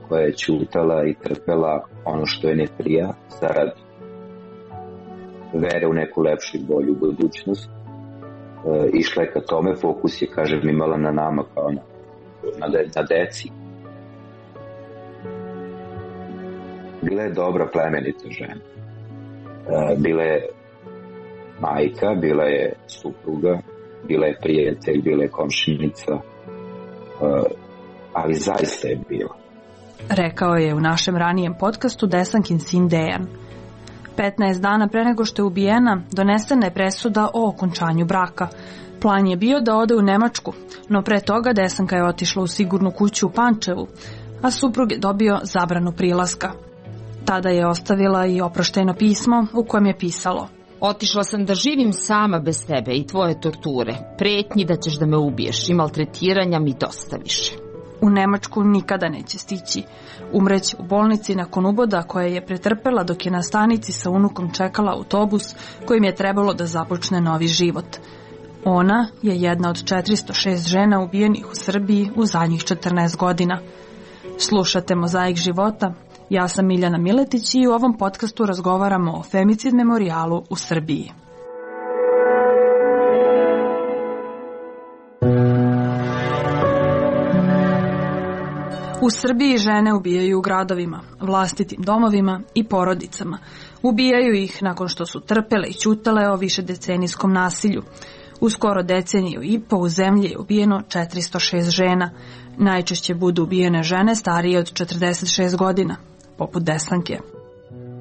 koja je ćutala i trpela ono što je ne prija zarad vere u neku lepšu i bolju budućnost. E, išla je ka tome, fokus je, kažem, imala na nama kao na, na, de, na deci. Bila je dobra, plemenita žena. E, bila je majka, bila je supruga, bila je prijatelj, bila je komšinica, e, ali zaista je bila. Rekao je u našem ranijem podcastu Desankin sin Dejan. petnaest dana pre nego što je ubijena, donesena je presuda o okončanju braka. Plan je bio da ode u Nemačku, no pre toga Desanka je otišla u sigurnu kuću u Pančevu, a suprug je dobio zabranu prilaska. Tada je ostavila i oproštajno pismo u kojem je pisalo: Otišla sam da živim sama bez tebe i tvoje torture, pretnji da ćeš da me ubiješ i maltretiranja mi dosta više. U Nemačku nikada neće stići. Umreće u bolnici nakon uboda koje je pretrpela dok je na stanici sa unukom čekala autobus kojim je trebalo da započne novi život. Ona je jedna od četiristo šest žena ubijenih u Srbiji u zadnjih četrnaest godina. Slušate Mozaik života. Ja sam Miljana Miletić i u ovom podcastu razgovaramo o femicid memorijalu u Srbiji. U Srbiji žene ubijaju u gradovima, vlastitim domovima i porodicama. Ubijaju ih nakon što su trpele i ćutale o višedecenijskom nasilju. U skoro deceniju i po u zemlji je ubijeno četiristo šest žena. Najčešće budu ubijene žene starije od četrdeset šest godina, poput Desanke.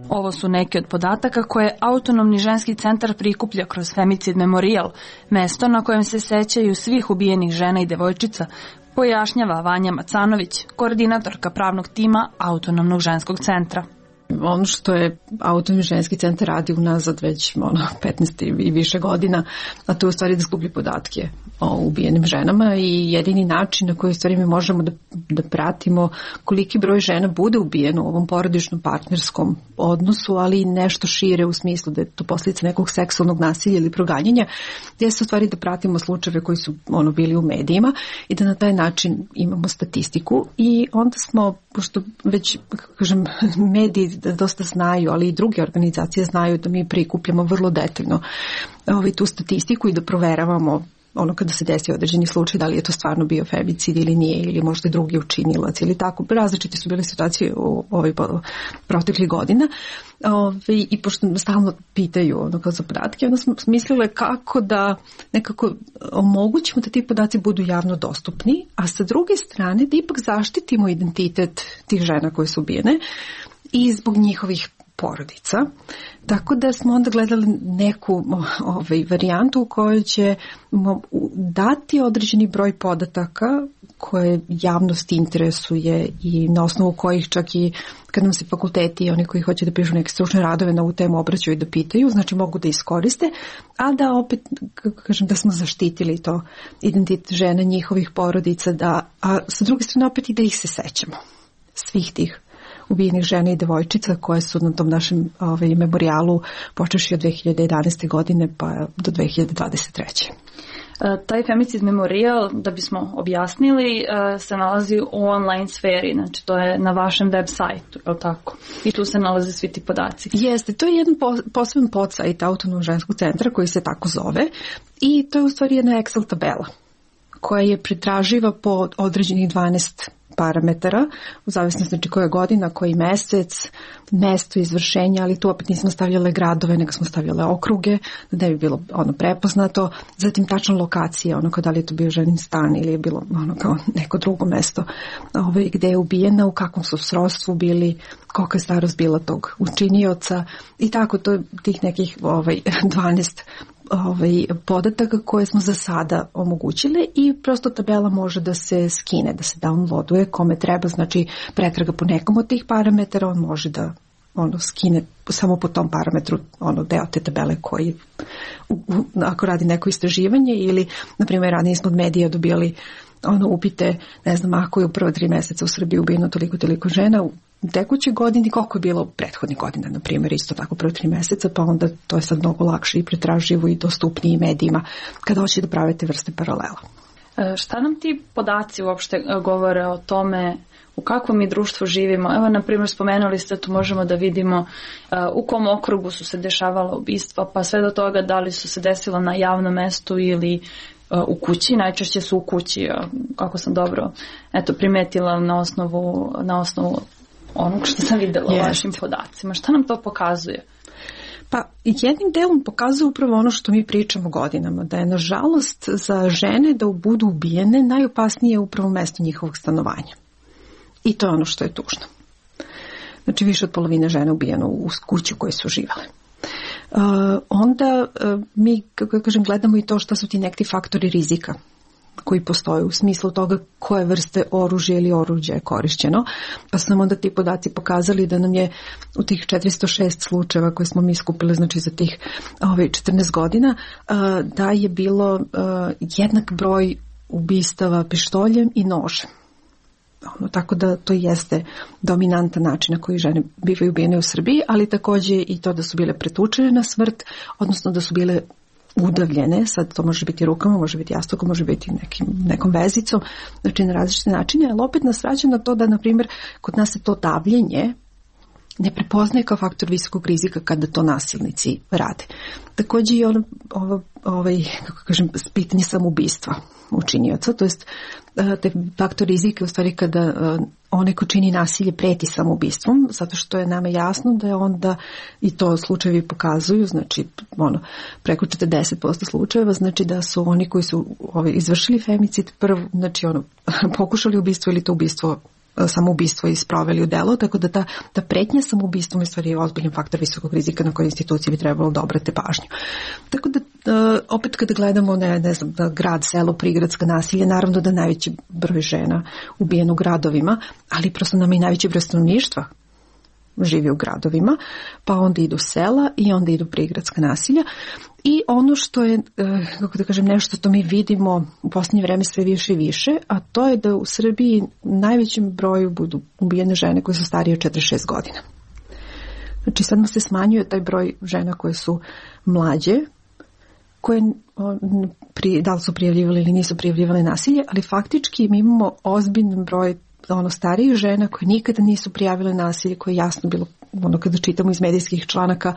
Ovo su neki od podataka koje Autonomni ženski centar prikuplja kroz Femicid memorijal, mesto na kojem se sećaju svih ubijenih žena i devojčica, pojašnjava Vanja Macanović, koordinatorka pravnog tima Autonomnog ženskog centra. Ono što je Autonomni ženski centar radi unazad već ono, petnaest i više godina, a to je u stvari da skuplji podatke o ubijenim ženama i jedini način na koji u stvari mi možemo da, da pratimo koliki broj žena bude ubijeno u ovom porodičnom partnerskom odnosu, ali i nešto šire u smislu da je to posljedica nekog seksualnog nasilja ili proganjanja, gdje se u stvari da pratimo slučajeve koji su ono bili u medijima i da na taj način imamo statistiku i onda smo, pošto već, kažem, mediji da dosta znaju, ali i druge organizacije znaju da mi prikupljamo vrlo detaljno ovaj, tu statistiku i da proveravamo ono kada se desi određeni slučaj, da li je to stvarno bio femicid ili nije, ili možda drugi učinilac ili tako. Različite su bile situacije u ovoj proteklih godina. Ove, I pošto stalno pitaju ono kao za podatke, onda smo mislile kako da nekako omogućimo da ti podaci budu javno dostupni, a sa druge strane da ipak zaštitimo identitet tih žena koje su ubijene i zbog njihovih porodica. Tako da smo onda gledali neku ovaj, varijantu u kojoj ćemo dati određeni broj podataka koje javnost interesuje i na osnovu kojih čak i kad nam se fakulteti i oni koji hoće da pišu neke stručne radove na ovu temu obraćaju i da pitaju, znači mogu da iskoriste, a da opet, kako kažem, da smo zaštitili to identitet žena, njihovih porodica, da, a sa druge strane opet i da ih se sećamo, svih tih ubijenih žena i devojčica koje su na tom našem ovaj, memorijalu počeši od dve hiljade jedanaeste. godine pa do dve hiljade dvadeset treće. Taj femicid memorijal, da bismo objasnili, se nalazi u online sferi, znači to je na vašem web sajtu, je li tako? I tu se nalaze svi ti podaci. Jeste, to je jedan poseban podsajt Autonomnog ženskog centra koji se tako zove i to je u stvari jedna Excel tabela koja je pretraživa po određenih dvanaest parametara, u zavisnosti znači koja godina, koji mesec, mesto izvršenja, ali tu opet nismo stavljale gradove, nego smo stavljale okruge, da ne bi bilo ono prepoznato, zatim tačna lokacija, ono kao da li je to bio ženin stan ili je bilo ono kao neko drugo mesto ovaj, gde je ubijena, u kakvom su srodstvu bili, kolika je starost bila tog učinioca i tako, to je tih nekih ovaj, dvanaest ovaj, podataka koje smo za sada omogućili i prosto tabela može da se skine, da se downloaduje kome treba, znači pretraga po nekom od tih parametara, on može da ono skine samo po tom parametru ono deo te tabele koji u, u, ako radi neko istraživanje ili na primjer ranije smo od medija dobijali ono upite, ne znam, ako je u prva tri mjeseca u Srbiji ubijeno toliko toliko žena u tekućoj godini, koliko je bilo u prethodnih godina, na primjer, isto tako prvo tri mjeseca, pa onda to je sad mnogo lakše i pretraživo i dostupniji medijima kada hoće da prave te vrste paralela. E, šta nam ti podaci uopšte govore o tome u kakvom mi društvu živimo? Evo, na primjer, spomenuli ste, tu možemo da vidimo uh, u kom okrugu su se dešavala ubistva, pa sve do toga da li su se desila na javnom mestu ili uh, u kući, najčešće su u kući, uh, kako sam dobro eto, primetila na osnovu, na osnovu onog što sam videla u vašim podacima. Šta nam to pokazuje? Pa jednim delom pokazuje upravo ono što mi pričamo godinama, da je nažalost za žene da budu ubijene najopasnije upravo mesto njihovog stanovanja. I to je ono što je tužno. Znači više od polovine žena ubijeno u kući u kojoj su živale. Uh, onda uh, mi, kako kažem, gledamo i to što su ti neki faktori rizika koji postoje u smislu toga koje vrste oružja ili oruđa je korišćeno. Pa su nam onda ti podaci pokazali da nam je u tih četiristo šest slučajeva koje smo mi skupili, znači za tih ove, četrnaest godina, uh, da je bilo uh, jednak broj ubistava pištoljem i nožem. Ono, tako da to jeste dominantan način na koji žene bivaju ubijene u Srbiji, ali također i to da su bile pretučene na smrt, odnosno da su bile udavljene, sad to može biti rukama, može biti jastukom, može biti nekim, nekom vezicom, znači na različite načine, ali opet nas vraća na to da, na primjer, kod nas se to davljenje ne prepoznaje kao faktor visokog rizika kada to nasilnici rade. Također i ono, ovo, ovaj, kako kažem, pitanje samoubistva učinioca, to jest te faktor rizika u stvari kada onaj ko čini nasilje preti samoubistvom, zato što je nama jasno da je onda, i to slučajevi pokazuju, znači ono, preko četrdeset posto slučajeva, znači da su oni koji su ovaj, izvršili femicid prvo, znači ono, pokušali ubistvo ili to ubistvo samoubistvo i sproveli u delo, tako da ta, ta pretnja samoubistvom je stvari ozbiljan faktor visokog rizika na koje institucije bi trebalo da obrate pažnju. Tako da, opet kada gledamo, ne, ne znam, grad, selo, prigradska nasilje, naravno da najveći broj žena ubijeno u gradovima, ali prosto nam i najveći broj stanovništva živi u gradovima, pa onda idu sela i onda idu prigradska nasilja. I ono što je, kako da kažem, nešto što mi vidimo u posljednje vreme sve više i više, a to je da u Srbiji najvećem broju budu ubijene žene koje su starije od četrdeset šest godina. Znači sad nam se smanjuje taj broj žena koje su mlađe, koje da li su prijavljivali ili nisu prijavljivali nasilje, ali faktički mi imamo ozbiljan broj ono starijih žena koje nikada nisu prijavile nasilje, koje je jasno bilo ono kada čitamo iz medijskih članaka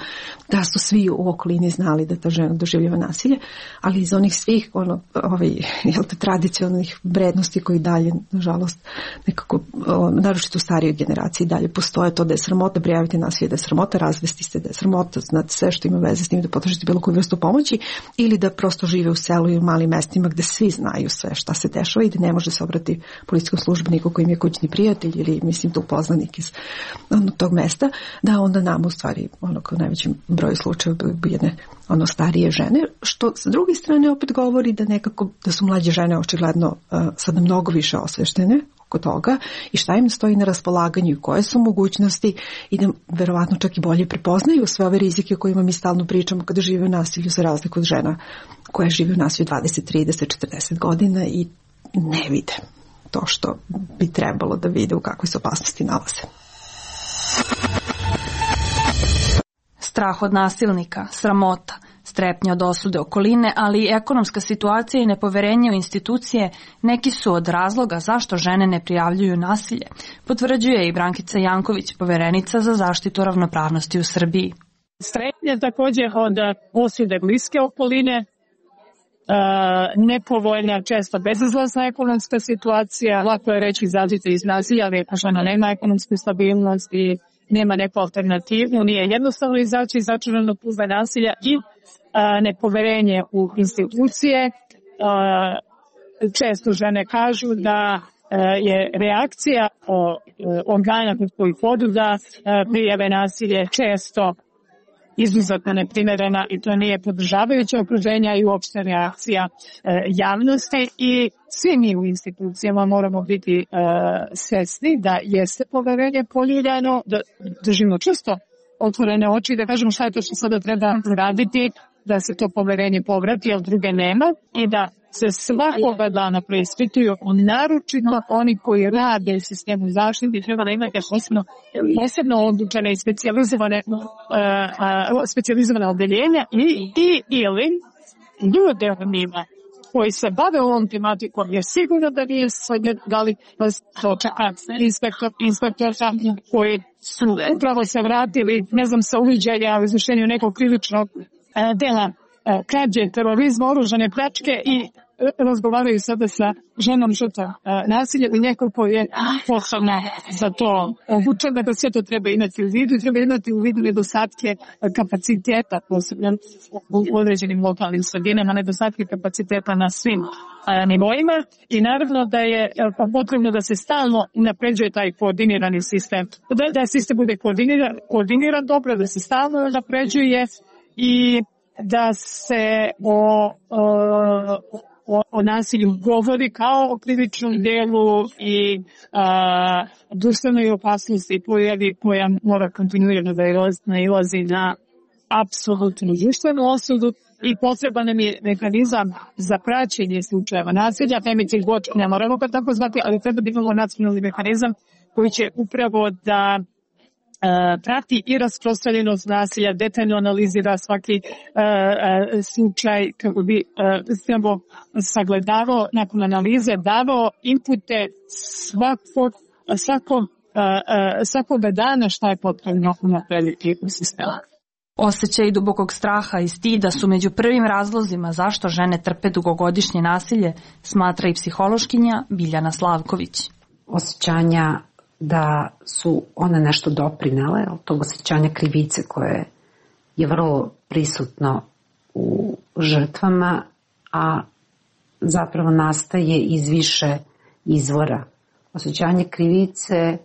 da su svi u okolini znali da ta žena doživljava nasilje, ali iz onih svih ono, ovaj, jel te, tradicionalnih vrednosti koji dalje, nažalost, nekako, o, naročito u starijoj generaciji dalje postoje to da je sramota prijaviti nasilje, da je sramota razvesti se, da je sramota znati sve što ima veze s tim, da potražite bilo koju vrstu pomoći ili da prosto žive u selu i u malim mestima gde svi znaju sve šta se dešava i da ne može se obrati policijskom službeniku koji im je kućni prijatelj ili mislim tu poznanik iz ono, tog mesta. da onda nam u stvari ono kao najvećem broju slučajeva bi jedne ono starije žene, što sa druge strane opet govori da nekako da su mlađe žene očigledno uh, sada mnogo više osveštene oko toga i šta im stoji na raspolaganju i koje su mogućnosti i da verovatno čak i bolje prepoznaju sve ove rizike o kojima mi stalno pričamo kada žive u nasilju, za razliku od žena koje žive u nasilju dvadeset, trideset, četrdeset godina i ne vide to što bi trebalo da vide u kakvoj se opasnosti nalaze. Strah od nasilnika, sramota, strepnja od osude okoline, ali i ekonomska situacija i nepoverenje u institucije neki su od razloga zašto žene ne prijavljuju nasilje, potvrđuje i Brankica Janković, poverenica za zaštitu ravnopravnosti u Srbiji. Strepnja također od osude bliske okoline, nepovoljna, često bezizlazna ekonomska situacija, lako je reći izađite iz nasilja, ali ako žena nema ekonomsku stabilnost i nema neku alternativu, nije jednostavno izaći iz začaranog kruga nasilja i a, nepoverenje u institucije. A, često žene kažu da a, je reakcija o, organa koji podu da prijave nasilje često izuzetno neprimerena i to nije podržavajuće okruženja i uopšte reakcija e, javnosti i svi mi u institucijama moramo biti e, svesni da jeste poverenje poljuljano, da držimo često otvorene oči i da kažemo šta je to što sada treba raditi, da se to poverenje povrati, jer druge nema i da se svakoga dana preispituju, naročito oni koji rade u sistemu zaštite, treba da imate posebno, posebno odlučene i specijalizovane, uh, uh, specijalizovane odeljenja i, i ili ljude od njima koji se bave ovom tematikom, jer sigurno da nije svojne, da li vas to čeka inspektor, inspektor koji su upravo se vratili, ne znam, sa uviđaja u izvršenju nekog krivičnog uh, dela krađe, terorizma, oružane pljačke i razgovaraju sada sa ženom žrtvom nasilja i neko ko je posebno za to obučen, da sve to treba imati u vidu i treba imati u vidu nedostatke kapaciteta, posebno u određenim lokalnim sredinama, nedostatke kapaciteta na svim nivoima i naravno da je potrebno da se stalno unapređuje taj koordinirani sistem, da, da sistem bude koordiniran, koordiniran dobro, da se stalno unapređuje i da se o, o, o nasilju govori kao o krivičnom delu i a, društvenoj opasnosti pojavi koja mora kontinuirano da nailazi na apsolutnu društvenu osudu i potreban nam je mehanizam za praćenje slučajeva nasilja, femicid watch, ne moramo ga tako zvati, ali treba da imamo nacionalni mehanizam koji će upravo da Uh, prati i rasprostranjenost nasilja, detaljno analizira svaki uh, uh, slučaj kako bi uh, sagledavao nakon analize, davao inpute svakog, svakog, uh, uh, svakog dana šta je potrebno unaprediti u sistemu. Osjećaj dubokog straha i stida su među prvim razlozima zašto žene trpe dugogodišnje nasilje, smatra i psihološkinja Biljana Slavković. Osjećanja da su one nešto doprinele, tog osjećanja krivice koje je vrlo prisutno u žrtvama, a zapravo nastaje iz više izvora. Osjećanje krivice e,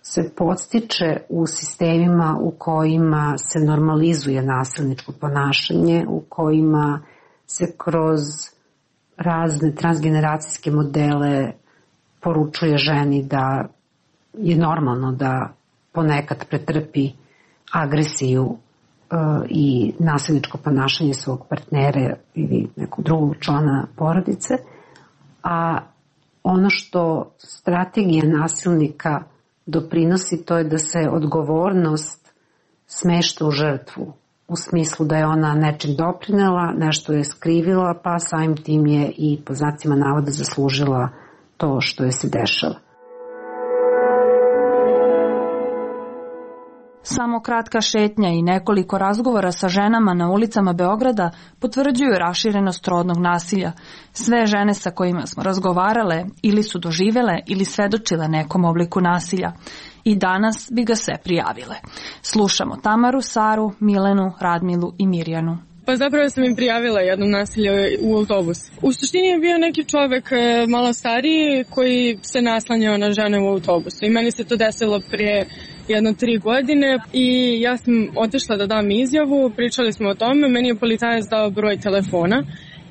se podstiče u sistemima u kojima se normalizuje nasilničko ponašanje, u kojima se kroz razne transgeneracijske modele poručuje ženi da je normalno da ponekad pretrpi agresiju e, i nasilničko ponašanje svog partnera ili nekog drugog člana porodice, a ono što strategija nasilnika doprinosi to je da se odgovornost smešta u žrtvu, u smislu da je ona nečim doprinela, nešto je skrivila, pa samim tim je i po znacima navoda zaslužila to što je se dešava. Samo kratka šetnja i nekoliko razgovora sa ženama na ulicama Beograda potvrđuju raširenost rodnog nasilja. Sve žene sa kojima smo razgovarale ili su doživele ili svedočile nekom obliku nasilja. I danas bi ga sve prijavile. Slušamo Tamaru, Saru, Milenu, Radmilu i Mirjanu. Pa zapravo sam im prijavila jednom nasilje u autobusu. U suštini je bio neki čovek malo stariji koji se naslanjao na žene u autobusu. I meni se to desilo prije jedno tri godine i ja sam otišla da dam izjavu, pričali smo o tome, meni je policajac dao broj telefona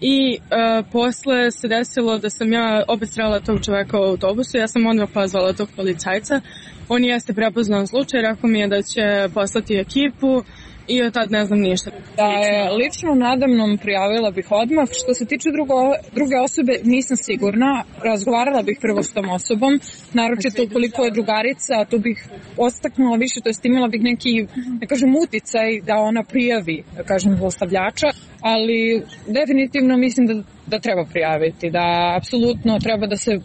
i uh, posle se desilo da sam ja opet srela tog čoveka u autobusu, ja sam onda pozvala tog policajca, on jeste prepoznao slučaj, rekao mi je da će poslati ekipu i od tad ne znam ništa. Da je lično nadamnom prijavila bih odmah. Što se tiče drugo, druge osobe, nisam sigurna. Razgovarala bih prvo s tom osobom, naročito ukoliko je drugarica, tu bih ostaknula više, to jest imala bih neki, ne kažem, uticaj da ona prijavi, da kažem, zlostavljača, ali definitivno mislim da, da treba prijaviti, da apsolutno treba da se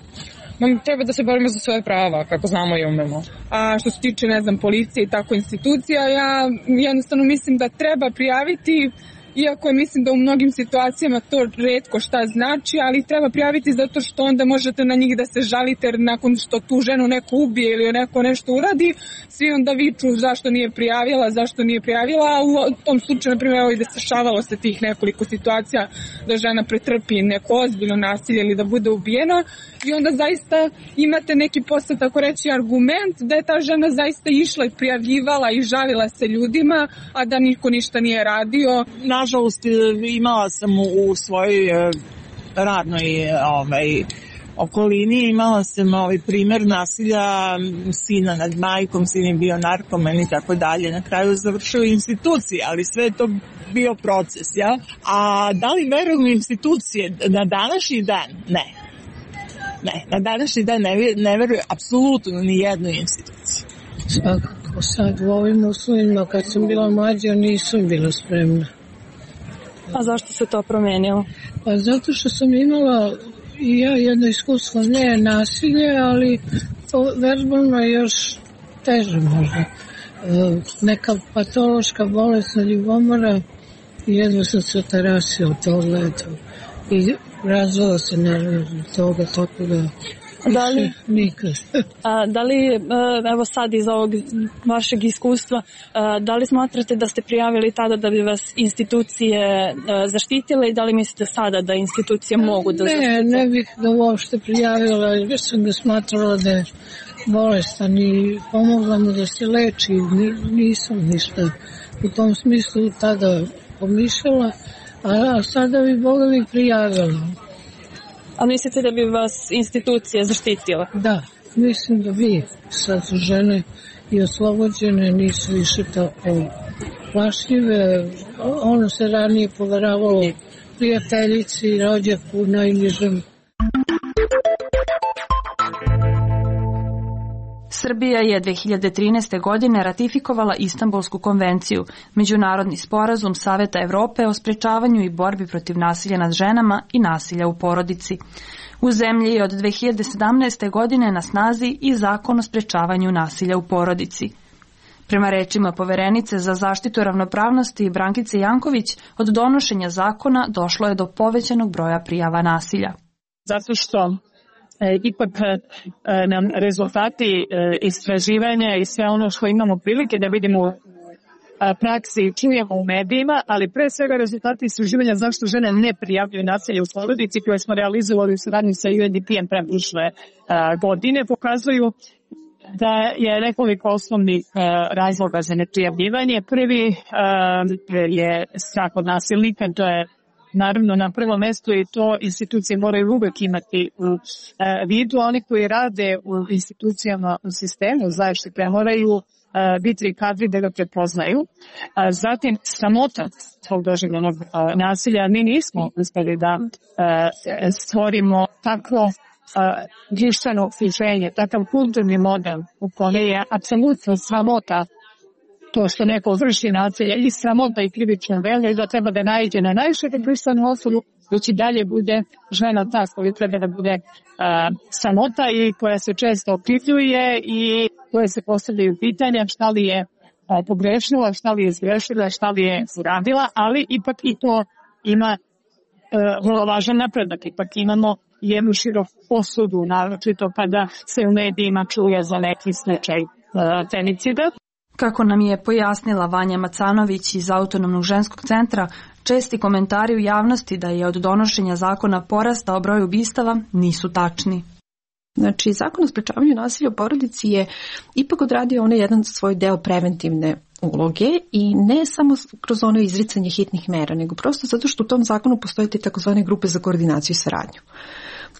treba da se borimo za svoje prava, kako znamo i umemo. A što se tiče, ne znam, policije i tako institucija, ja jednostavno mislim da treba prijaviti, iako mislim da u mnogim situacijama to retko šta znači, ali treba prijaviti zato što onda možete na njih da se žalite, jer nakon što tu ženu neko ubije ili neko nešto uradi, svi onda viču zašto nije prijavila, zašto nije prijavila, a u tom slučaju, na primjer, i dešavalo se tih nekoliko situacija da žena pretrpi neko ozbiljno nasilje ili da bude ubijena i onda zaista imate neki posle, tako reći, argument da je ta žena zaista išla i prijavljivala i žalila se ljudima, a da niko ništa nije radio. Nažalost, imala sam u svojoj radnoj ovaj, okolini, imala sam ovaj primjer nasilja sina nad majkom, sin je bio narkoman i tako dalje. Na kraju završio institucije, ali sve je to bio proces, ja? A da li verujem u institucije? Na današnji dan? Ne. Ne, na današnji dan ne, ne verujem apsolutno ni jednoj instituciji. Svakako, sad u ovim uslovima, kad sam bila mlađa, nisam bila spremna. A zašto se to promenilo? Pa zato što sam imala i ja jedno iskustvo, ne nasilje, ali to verbalno je još teže možda. Neka patološka bolesna ljubomora i jedno sam se otarasila od toga, eto. I razvala se nervno toga, tako da da li, nikad. A, da li, evo sad iz ovog vašeg iskustva, da li smatrate da ste prijavili tada da bi vas institucije zaštitile i da li mislite sada da institucije mogu da zaštite? Ne, ne bih ga uopšte prijavila, jer sam ga smatrala da je bolestan i pomogla mu da se leči. Nisam ništa u tom smislu tada pomišljala, a sada bi Boga mi prijavila. A mislite da bi vas institucije zaštitile? Da, mislim da bi. Sad su žene i oslobođene, nisu više tako plašljive. Ono se ranije poveravalo prijateljici, rođaku, najnižem. Srbija je dve hiljade trinaeste. godine ratifikovala Istanbulsku konvenciju, međunarodni sporazum Saveta Evrope o sprečavanju i borbi protiv nasilja nad ženama i nasilja u porodici. U zemlji je od dve hiljade sedamnaeste. godine na snazi i zakon o sprečavanju nasilja u porodici. Prema rečima poverenice za zaštitu ravnopravnosti Brankice Janković, od donošenja zakona došlo je do povećanog broja prijava nasilja. Zato što E, ipak e, nam rezultati e, istraživanja i sve ono što imamo prilike da vidimo u praksi i čujemo u medijima, ali pre svega rezultati istraživanja zašto žene ne prijavljuju nasilje u porodici koje smo realizovali u saradnji sa U N D P-em pre prošle godine pokazuju da je nekoliko osnovnih e, razloga za neprijavljivanje. Prvi e, je strah od nasilnika, to je naravno na prvom mestu i to institucije moraju uvek imati u e, vidu. Oni koji rade u institucijama u sistemu zaštite moraju e, biti kadri da ga prepoznaju. A zatim sramota tog doživljenog e, nasilja. Mi nismo uspeli da e, stvorimo takvo društveno okruženje, takav kulturni model u kome je apsolutno sramota to što neko vrši nasilje i sramota i krivično delo i da treba da naiđe na najšire društvenu osudu, dok i dalje bude žena ta koja treba da bude uh, sramota i koja se često okrivljuje i koje se postavljaju pitanja šta li je uh, pogrešila, šta li je zgrešila, šta li je uradila, ali ipak i to ima uh, vrlo važan napredak. Ipak imamo jednu široku osudu, naročito kada se u medijima čuje za neki slučaj uh, femicida. Kako nam je pojasnila Vanja Macanović iz Autonomnog ženskog centra, česti komentari u javnosti da je od donošenja zakona porastao broj ubistava nisu tačni. Znači, Zakon o sprečavanju nasilja u porodici je ipak odradio onaj jedan svoj deo preventivne uloge i ne samo kroz ono izricanje hitnih mera, nego prosto zato što u tom zakonu postoje te takozvane grupe za koordinaciju i saradnju.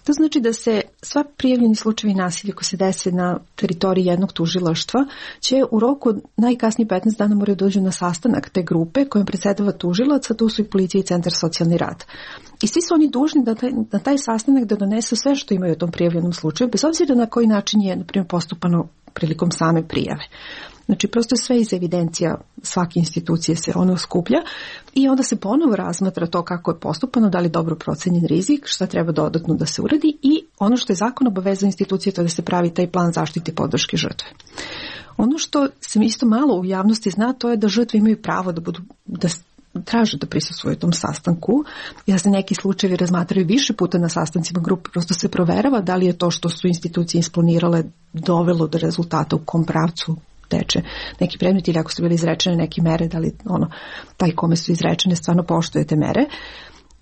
To znači da se sva prijavljeni slučajevi nasilja koji se dese na teritoriji jednog tužilaštva će u roku od najkasnije petnaest dana moraju dođu na sastanak te grupe kojom predsjedava tužilac, a tu su i policija i centar socijalni rad. I svi su oni dužni da taj, na taj sastanak da donesu sve što imaju u tom prijavljenom slučaju, bez obzira na koji način je, na primjer, postupano prilikom same prijave. Znači, prosto je sve iz evidencija svake institucije se ono skuplja i onda se ponovo razmatra to kako je postupano, da li dobro procenjen rizik, šta treba dodatno da se uradi i ono što je zakon obavezao institucije to da se pravi taj plan zaštite i podrške žrtve. Ono što se isto malo u javnosti zna, to je da žrtve imaju pravo da budu, da traže da prisustvuju tom sastanku i da se neki slučajevi razmatraju više puta na sastancima grupe, prosto se proverava da li je to što su institucije isplanirale dovelo do rezultata u kom pravcu teče neki predmet ili ako su bile izrečene neke mere, da li ono, taj kome su izrečene stvarno poštuje te mere.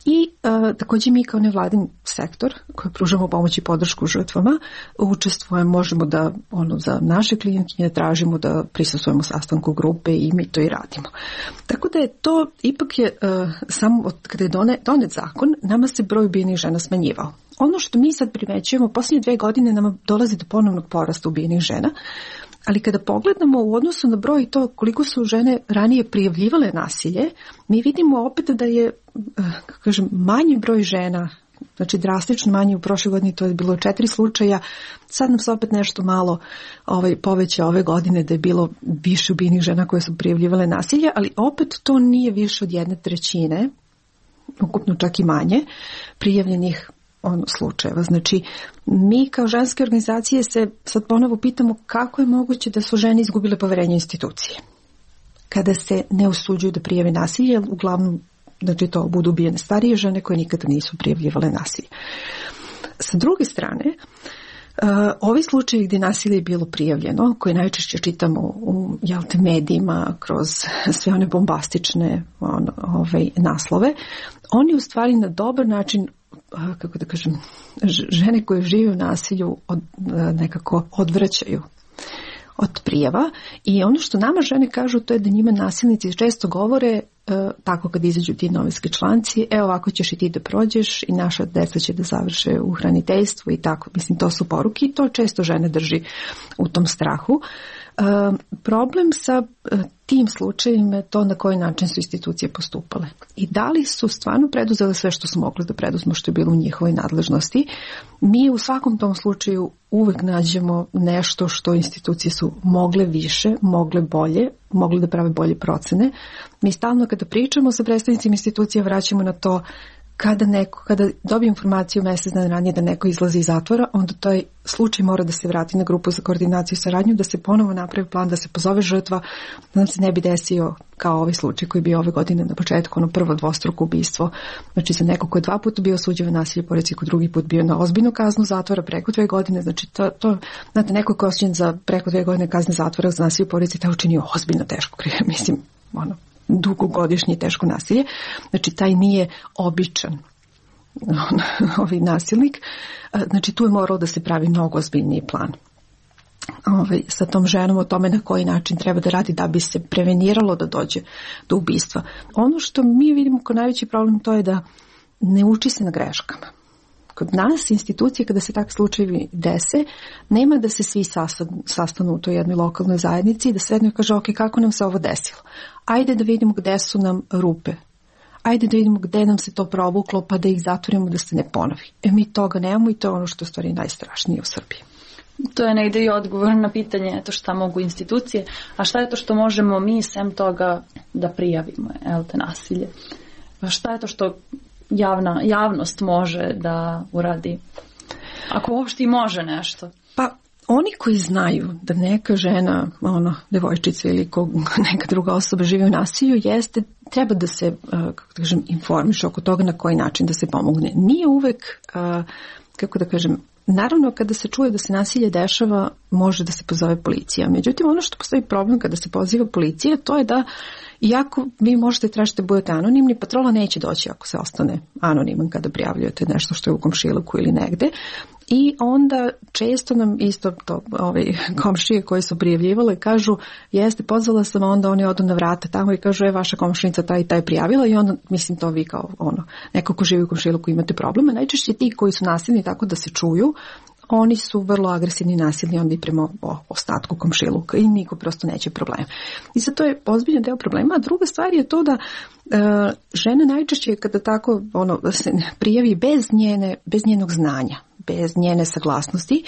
I uh, također mi kao nevladin sektor koji pružamo pomoć i podršku žrtvama učestvujemo, možemo da ono, za naše klijentkinje tražimo da prisustvujemo sastanku grupe i mi to i radimo. Tako da je to, ipak je uh, samo od kada je donet, donet zakon, nama se broj ubijenih žena smanjivao. Ono što mi sad primećujemo, posljednje dve godine nama dolazi do ponovnog porasta ubijenih žena, ali kada pogledamo u odnosu na broj to koliko su žene ranije prijavljivale nasilje, mi vidimo opet da je, kako kažem, manji broj žena, znači drastično manji u prošloj godini, to je bilo četiri slučaja, sad nam se opet nešto malo ovaj, poveća ove godine da je bilo više ubijenih žena koje su prijavljivale nasilje, ali opet to nije više od jedne trećine, ukupno čak i manje, prijavljenih ono, slučajeva. Znači, mi kao ženske organizacije se sad ponovo pitamo kako je moguće da su žene izgubile poverenje institucije. Kada se ne usuđuju da prijave nasilje, uglavnom, znači to budu ubijene starije žene koje nikada nisu prijavljivale nasilje. Sa druge strane, Uh, ovi slučajevi gdje nasilje je bilo prijavljeno, koje najčešće čitamo u jelte, medijima, kroz sve one bombastične on, ovaj, naslove, oni u stvari na dobar način, uh, kako da kažem, žene koje žive u nasilju od, uh, nekako odvraćaju od prijava i ono što nama žene kažu to je da njima nasilnici često govore e, tako kad izađu ti novinski članci, e ovako ćeš i ti da prođeš i naša deca će da završe u hraniteljstvu i tako, mislim to su poruke i to često žene drži u tom strahu. E, problem sa e, tim slučajima je to na koji način su institucije postupale i da li su stvarno preduzele sve što su mogli da preduzmu što je bilo u njihovoj nadležnosti. Mi u svakom tom slučaju uvek nađemo nešto što institucije su mogle više, mogle bolje, mogle da prave bolje procene. Mi stalno kada pričamo sa predstavnicima institucija vraćamo na to kada neko, kada dobije informaciju mjesec dana ranije da neko izlazi iz zatvora, onda taj slučaj mora da se vrati na grupu za koordinaciju i saradnju, da se ponovo napravi plan, da se pozove žrtva, da nam se ne bi desio kao ovaj slučaj koji je bio ove godine na početku, ono prvo dvostruko ubistvo. Znači za neko ko je dva puta bio osuđen na nasilje porodice, ko drugi put bio na ozbiljnu kaznu zatvora preko dve godine, znači to, to znate, neko ko je osuđen za preko dve godine kazne zatvora za nasilje porodice, taj učinio ozbiljno teško, mislim, ono, dugogodišnje teško nasilje, znači taj nije običan ovaj nasilnik, znači tu je moralo da se pravi mnogo ozbiljniji plan ovaj, sa tom ženom o tome na koji način treba da radi da bi se preveniralo da dođe do ubistva. Ono što mi vidimo kao najveći problem to je da ne uči se na greškama. Kod nas institucije kada se takvi slučajevi dese, nema da se svi sastanu u toj jednoj lokalnoj zajednici i da sednu i kaže ok, kako nam se ovo desilo. Ajde da vidimo gde su nam rupe. Ajde da vidimo gde nam se to provuklo pa da ih zatvorimo da se ne ponovi. E mi toga nemamo i to je ono što je u stvari najstrašnije u Srbiji. To je negde i odgovor na pitanje to šta mogu institucije, a šta je to što možemo mi sem toga da prijavimo el te nasilje. Šta je to što javna, javnost može da uradi? Ako uopšte i može nešto. Pa oni koji znaju da neka žena, ono, devojčica ili ko, neka druga osoba živi u nasilju, jeste, treba da se, kako da kažem, informiše oko toga na koji način da se pomogne. Nije uvek, kako da kažem, naravno kada se čuje da se nasilje dešava, može da se pozove policija. Međutim, ono što postoji problem kada se poziva policija, to je da iako vi možete tražiti da budete anonimni, patrola neće doći ako se ostane anoniman kada prijavljujete nešto što je u komšiluku ili negde. I onda često nam isto to, ovi komšije koji su prijavljivale kažu jeste, pozvala sam, onda oni odu na vrata tamo i kažu je vaša komšinica taj i taj prijavila i onda mislim to vi kao ono, neko ko živi u komšiluku imate probleme. Najčešće ti koji su nasilni tako da se čuju, oni su vrlo agresivni i nasilni onda i prema ostatku komšiluka i niko prosto neće problem. I sad to je ozbiljan deo problema. A druga stvar je to da e, žena najčešće kada tako ono, se prijavi bez, njene, bez njenog znanja, bez njene saglasnosti,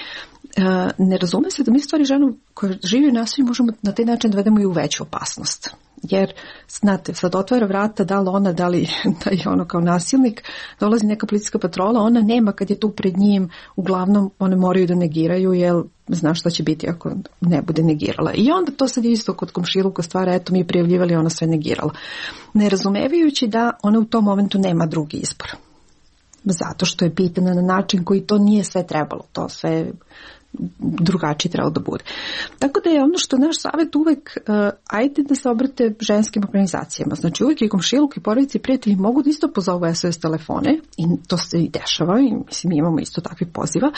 e, ne razume se da mi stvari ženu koja živi u nasilju možemo na taj način da vedemo i u veću opasnost. Jer, znate, sad otvara vrata, da li ona, da li da je ono kao nasilnik, dolazi neka policijska patrola, ona nema kad je tu pred njim, uglavnom one moraju da negiraju, jer zna šta će biti ako ne bude negirala. I onda to sad isto kod komšiluka stvara, eto mi je prijavljivali, ona sve negirala. Ne razumevajući da ona u tom momentu nema drugi izbor. Zato što je pitana na način koji to nije sve trebalo, to sve drugačije trebalo da bude. Tako da je ono što naš savjet uvek, uh, ajde da se obrate ženskim organizacijama. Znači uvek i komšiluk i porodice i prijatelji mogu da isto pozovu S O S telefone i to se i dešava i mislim mi imamo isto takvih poziva.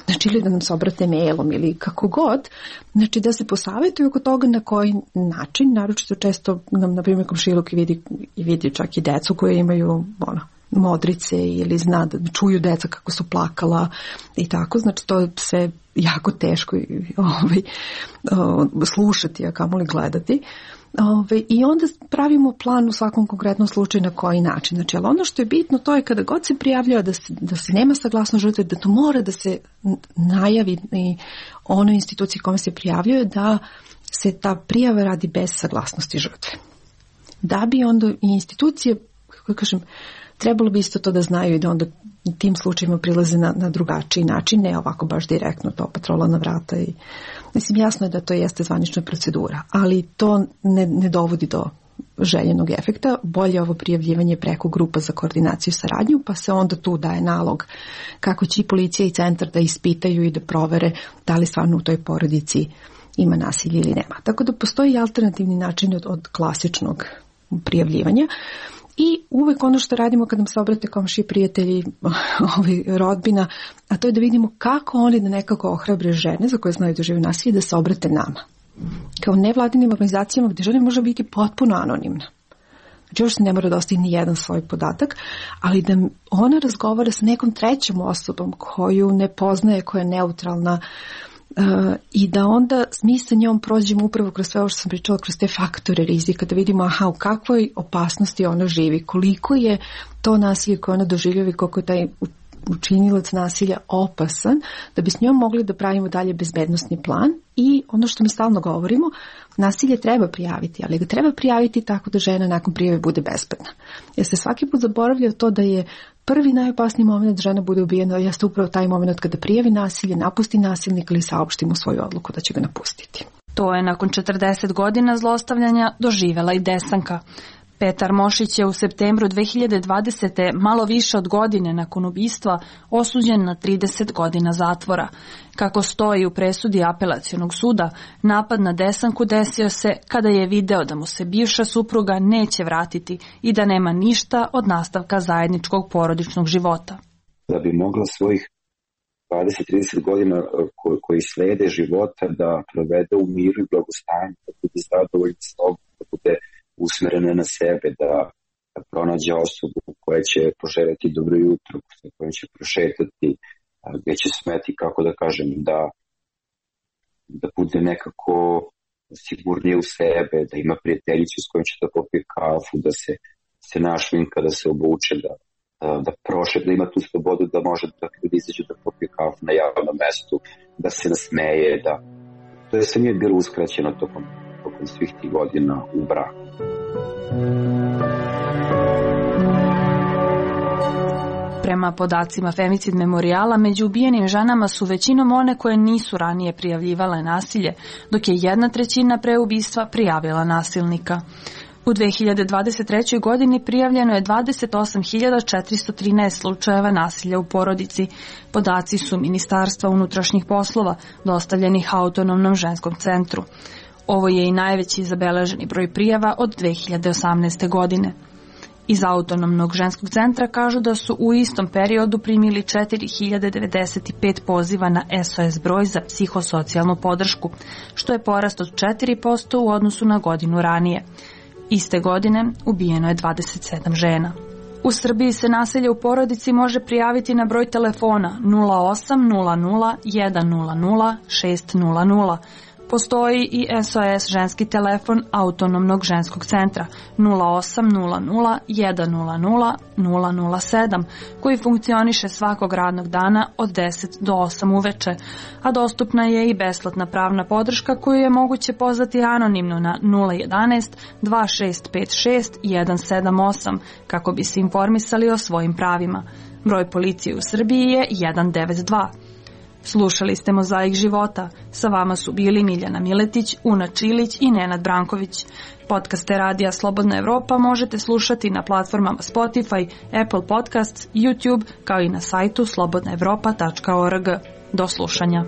Znači ili da nam se obrate mailom ili kako god. Znači da se posavetuju oko toga na koji način. Naročito često nam na primjer komšiluk i vidi, i vidi čak i decu koje imaju ono modrice ili zna da čuju deca kako su plakala i tako, znači to je sve jako teško ovaj, slušati, a kamoli gledati. Ovaj, I onda pravimo plan u svakom konkretnom slučaju na koji način. Znači, ali ono što je bitno to je kada god se prijavljava da se, da se nema saglasno žrtve, da to mora da se najavi i onoj instituciji kome se prijavljuje da se ta prijava radi bez saglasnosti žrtve. Da bi onda i institucije, kako kažem, trebalo bi isto to da znaju i da onda tim slučajima prilaze na, na drugačiji način, ne ovako baš direktno to patrola na vrata. I, mislim, jasno je da to jeste zvanična procedura, ali to ne, ne dovodi do željenog efekta. Bolje ovo prijavljivanje preko grupa za koordinaciju i saradnju, pa se onda tu daje nalog kako će i policija i centar da ispitaju i da provere da li stvarno u toj porodici ima nasilje ili nema. Tako da postoji alternativni način od, od klasičnog prijavljivanja. I uvek ono što radimo kad nam se obrate komšije, prijatelji, ovaj, rodbina, a to je da vidimo kako oni da nekako ohrabre žene za koje znaju da žive nasilje da se obrate nama. Kao nevladinim organizacijama gdje žena može biti potpuno anonimna. Znači još se ne mora da ostavi ni jedan svoj podatak, ali da ona razgovara sa nekom trećom osobom koju ne poznaje, koja je neutralna, Uh, i da onda mi sa njom prođemo upravo kroz sve ovo što sam pričala, kroz te faktore rizika, da vidimo aha, u kakvoj opasnosti ona živi, koliko je to nasilje koje ona doživljava i koliko je taj učinilac nasilja opasan, da bi s njom mogli da pravimo dalje bezbednosni plan. I ono što mi stalno govorimo, nasilje treba prijaviti, ali ga treba prijaviti tako da žena nakon prijave bude bezbedna. Jer se svaki put zaboravlja to da je prvi najopasniji moment da žena bude ubijena, jeste upravo taj moment kada prijavi nasilje, napusti nasilnika ili saopšti mu svoju odluku da će ga napustiti. To je nakon četrdeset godina zlostavljanja doživela i Desanka. Petar Mošić je u septembru dve hiljade dvadesete malo više od godine nakon ubistva osuđen na trideset godina zatvora. Kako stoji u presudi apelacionog suda, napad na Desanku desio se kada je video da mu se bivša supruga neće vratiti i da nema ništa od nastavka zajedničkog porodičnog života. Da bi mogla svojih dvadeset do trideset godina koji, koji slede života da provede u miru i blagostanju, da bude zadovoljna s sobom, da bude usmerena na sebe, da, da pronađe osobu koja će poželjeti dobro jutro, sa kojom će prošetati, gdje će smeti, kako da kažem, da, da bude nekako sigurnije u sebe, da ima prijateljicu s kojom će da popije kafu, da se, se našminka, da se obuče, da, da, da prošet, da ima tu slobodu da može da ljudi izađu da popije kafu na javnom mestu, da se nasmeje, da to je sve nije bilo uskraćeno tokom, tokom svih tih godina u braku. Prema podacima Femicid memorijala, među ubijenim ženama su većinom one koje nisu ranije prijavljivale nasilje, dok je jedna trećina pre ubistva prijavila nasilnika. U dve hiljade dvadeset trećoj. godini prijavljeno je dvadeset osam hiljada četiristo trinaest slučajeva nasilja u porodici. Podaci su Ministarstva unutrašnjih poslova, dostavljenih Autonomnom ženskom centru. Ovo je i najveći zabeleženi broj prijava od dve hiljade osamnaeste. godine. Iz Autonomnog ženskog centra kažu da su u istom periodu primili četiri hiljade devedeset pet poziva na S O S broj za psihosocijalnu podršku, što je porast od četiri posto u odnosu na godinu ranije. Iste godine ubijeno je dvadeset sedam žena. U Srbiji se nasilje u porodici može prijaviti na broj telefona nula osam nula nula jedan nula nula šest nula nula. Postoji i S O S ženski telefon Autonomnog ženskog centra nula osam nula nula jedan nula nula nula nula sedam koji funkcioniše svakog radnog dana od deset do osam uveče, a dostupna je i besplatna pravna podrška koju je moguće pozvati anonimno na nula jedanaest dva šest pet šest jedan sedam osam kako bi se informisali o svojim pravima. Broj policije u Srbiji je jedan devet dva. Slušali ste Mozaik života. Sa vama su bili Miljana Miletić, Una Čilić i Nenad Branković. Podcaste Radija Slobodna Evropa možete slušati na platformama Spotify, Apple Podcasts, YouTube, kao i na sajtu slobodna evropa tačka org. Do slušanja.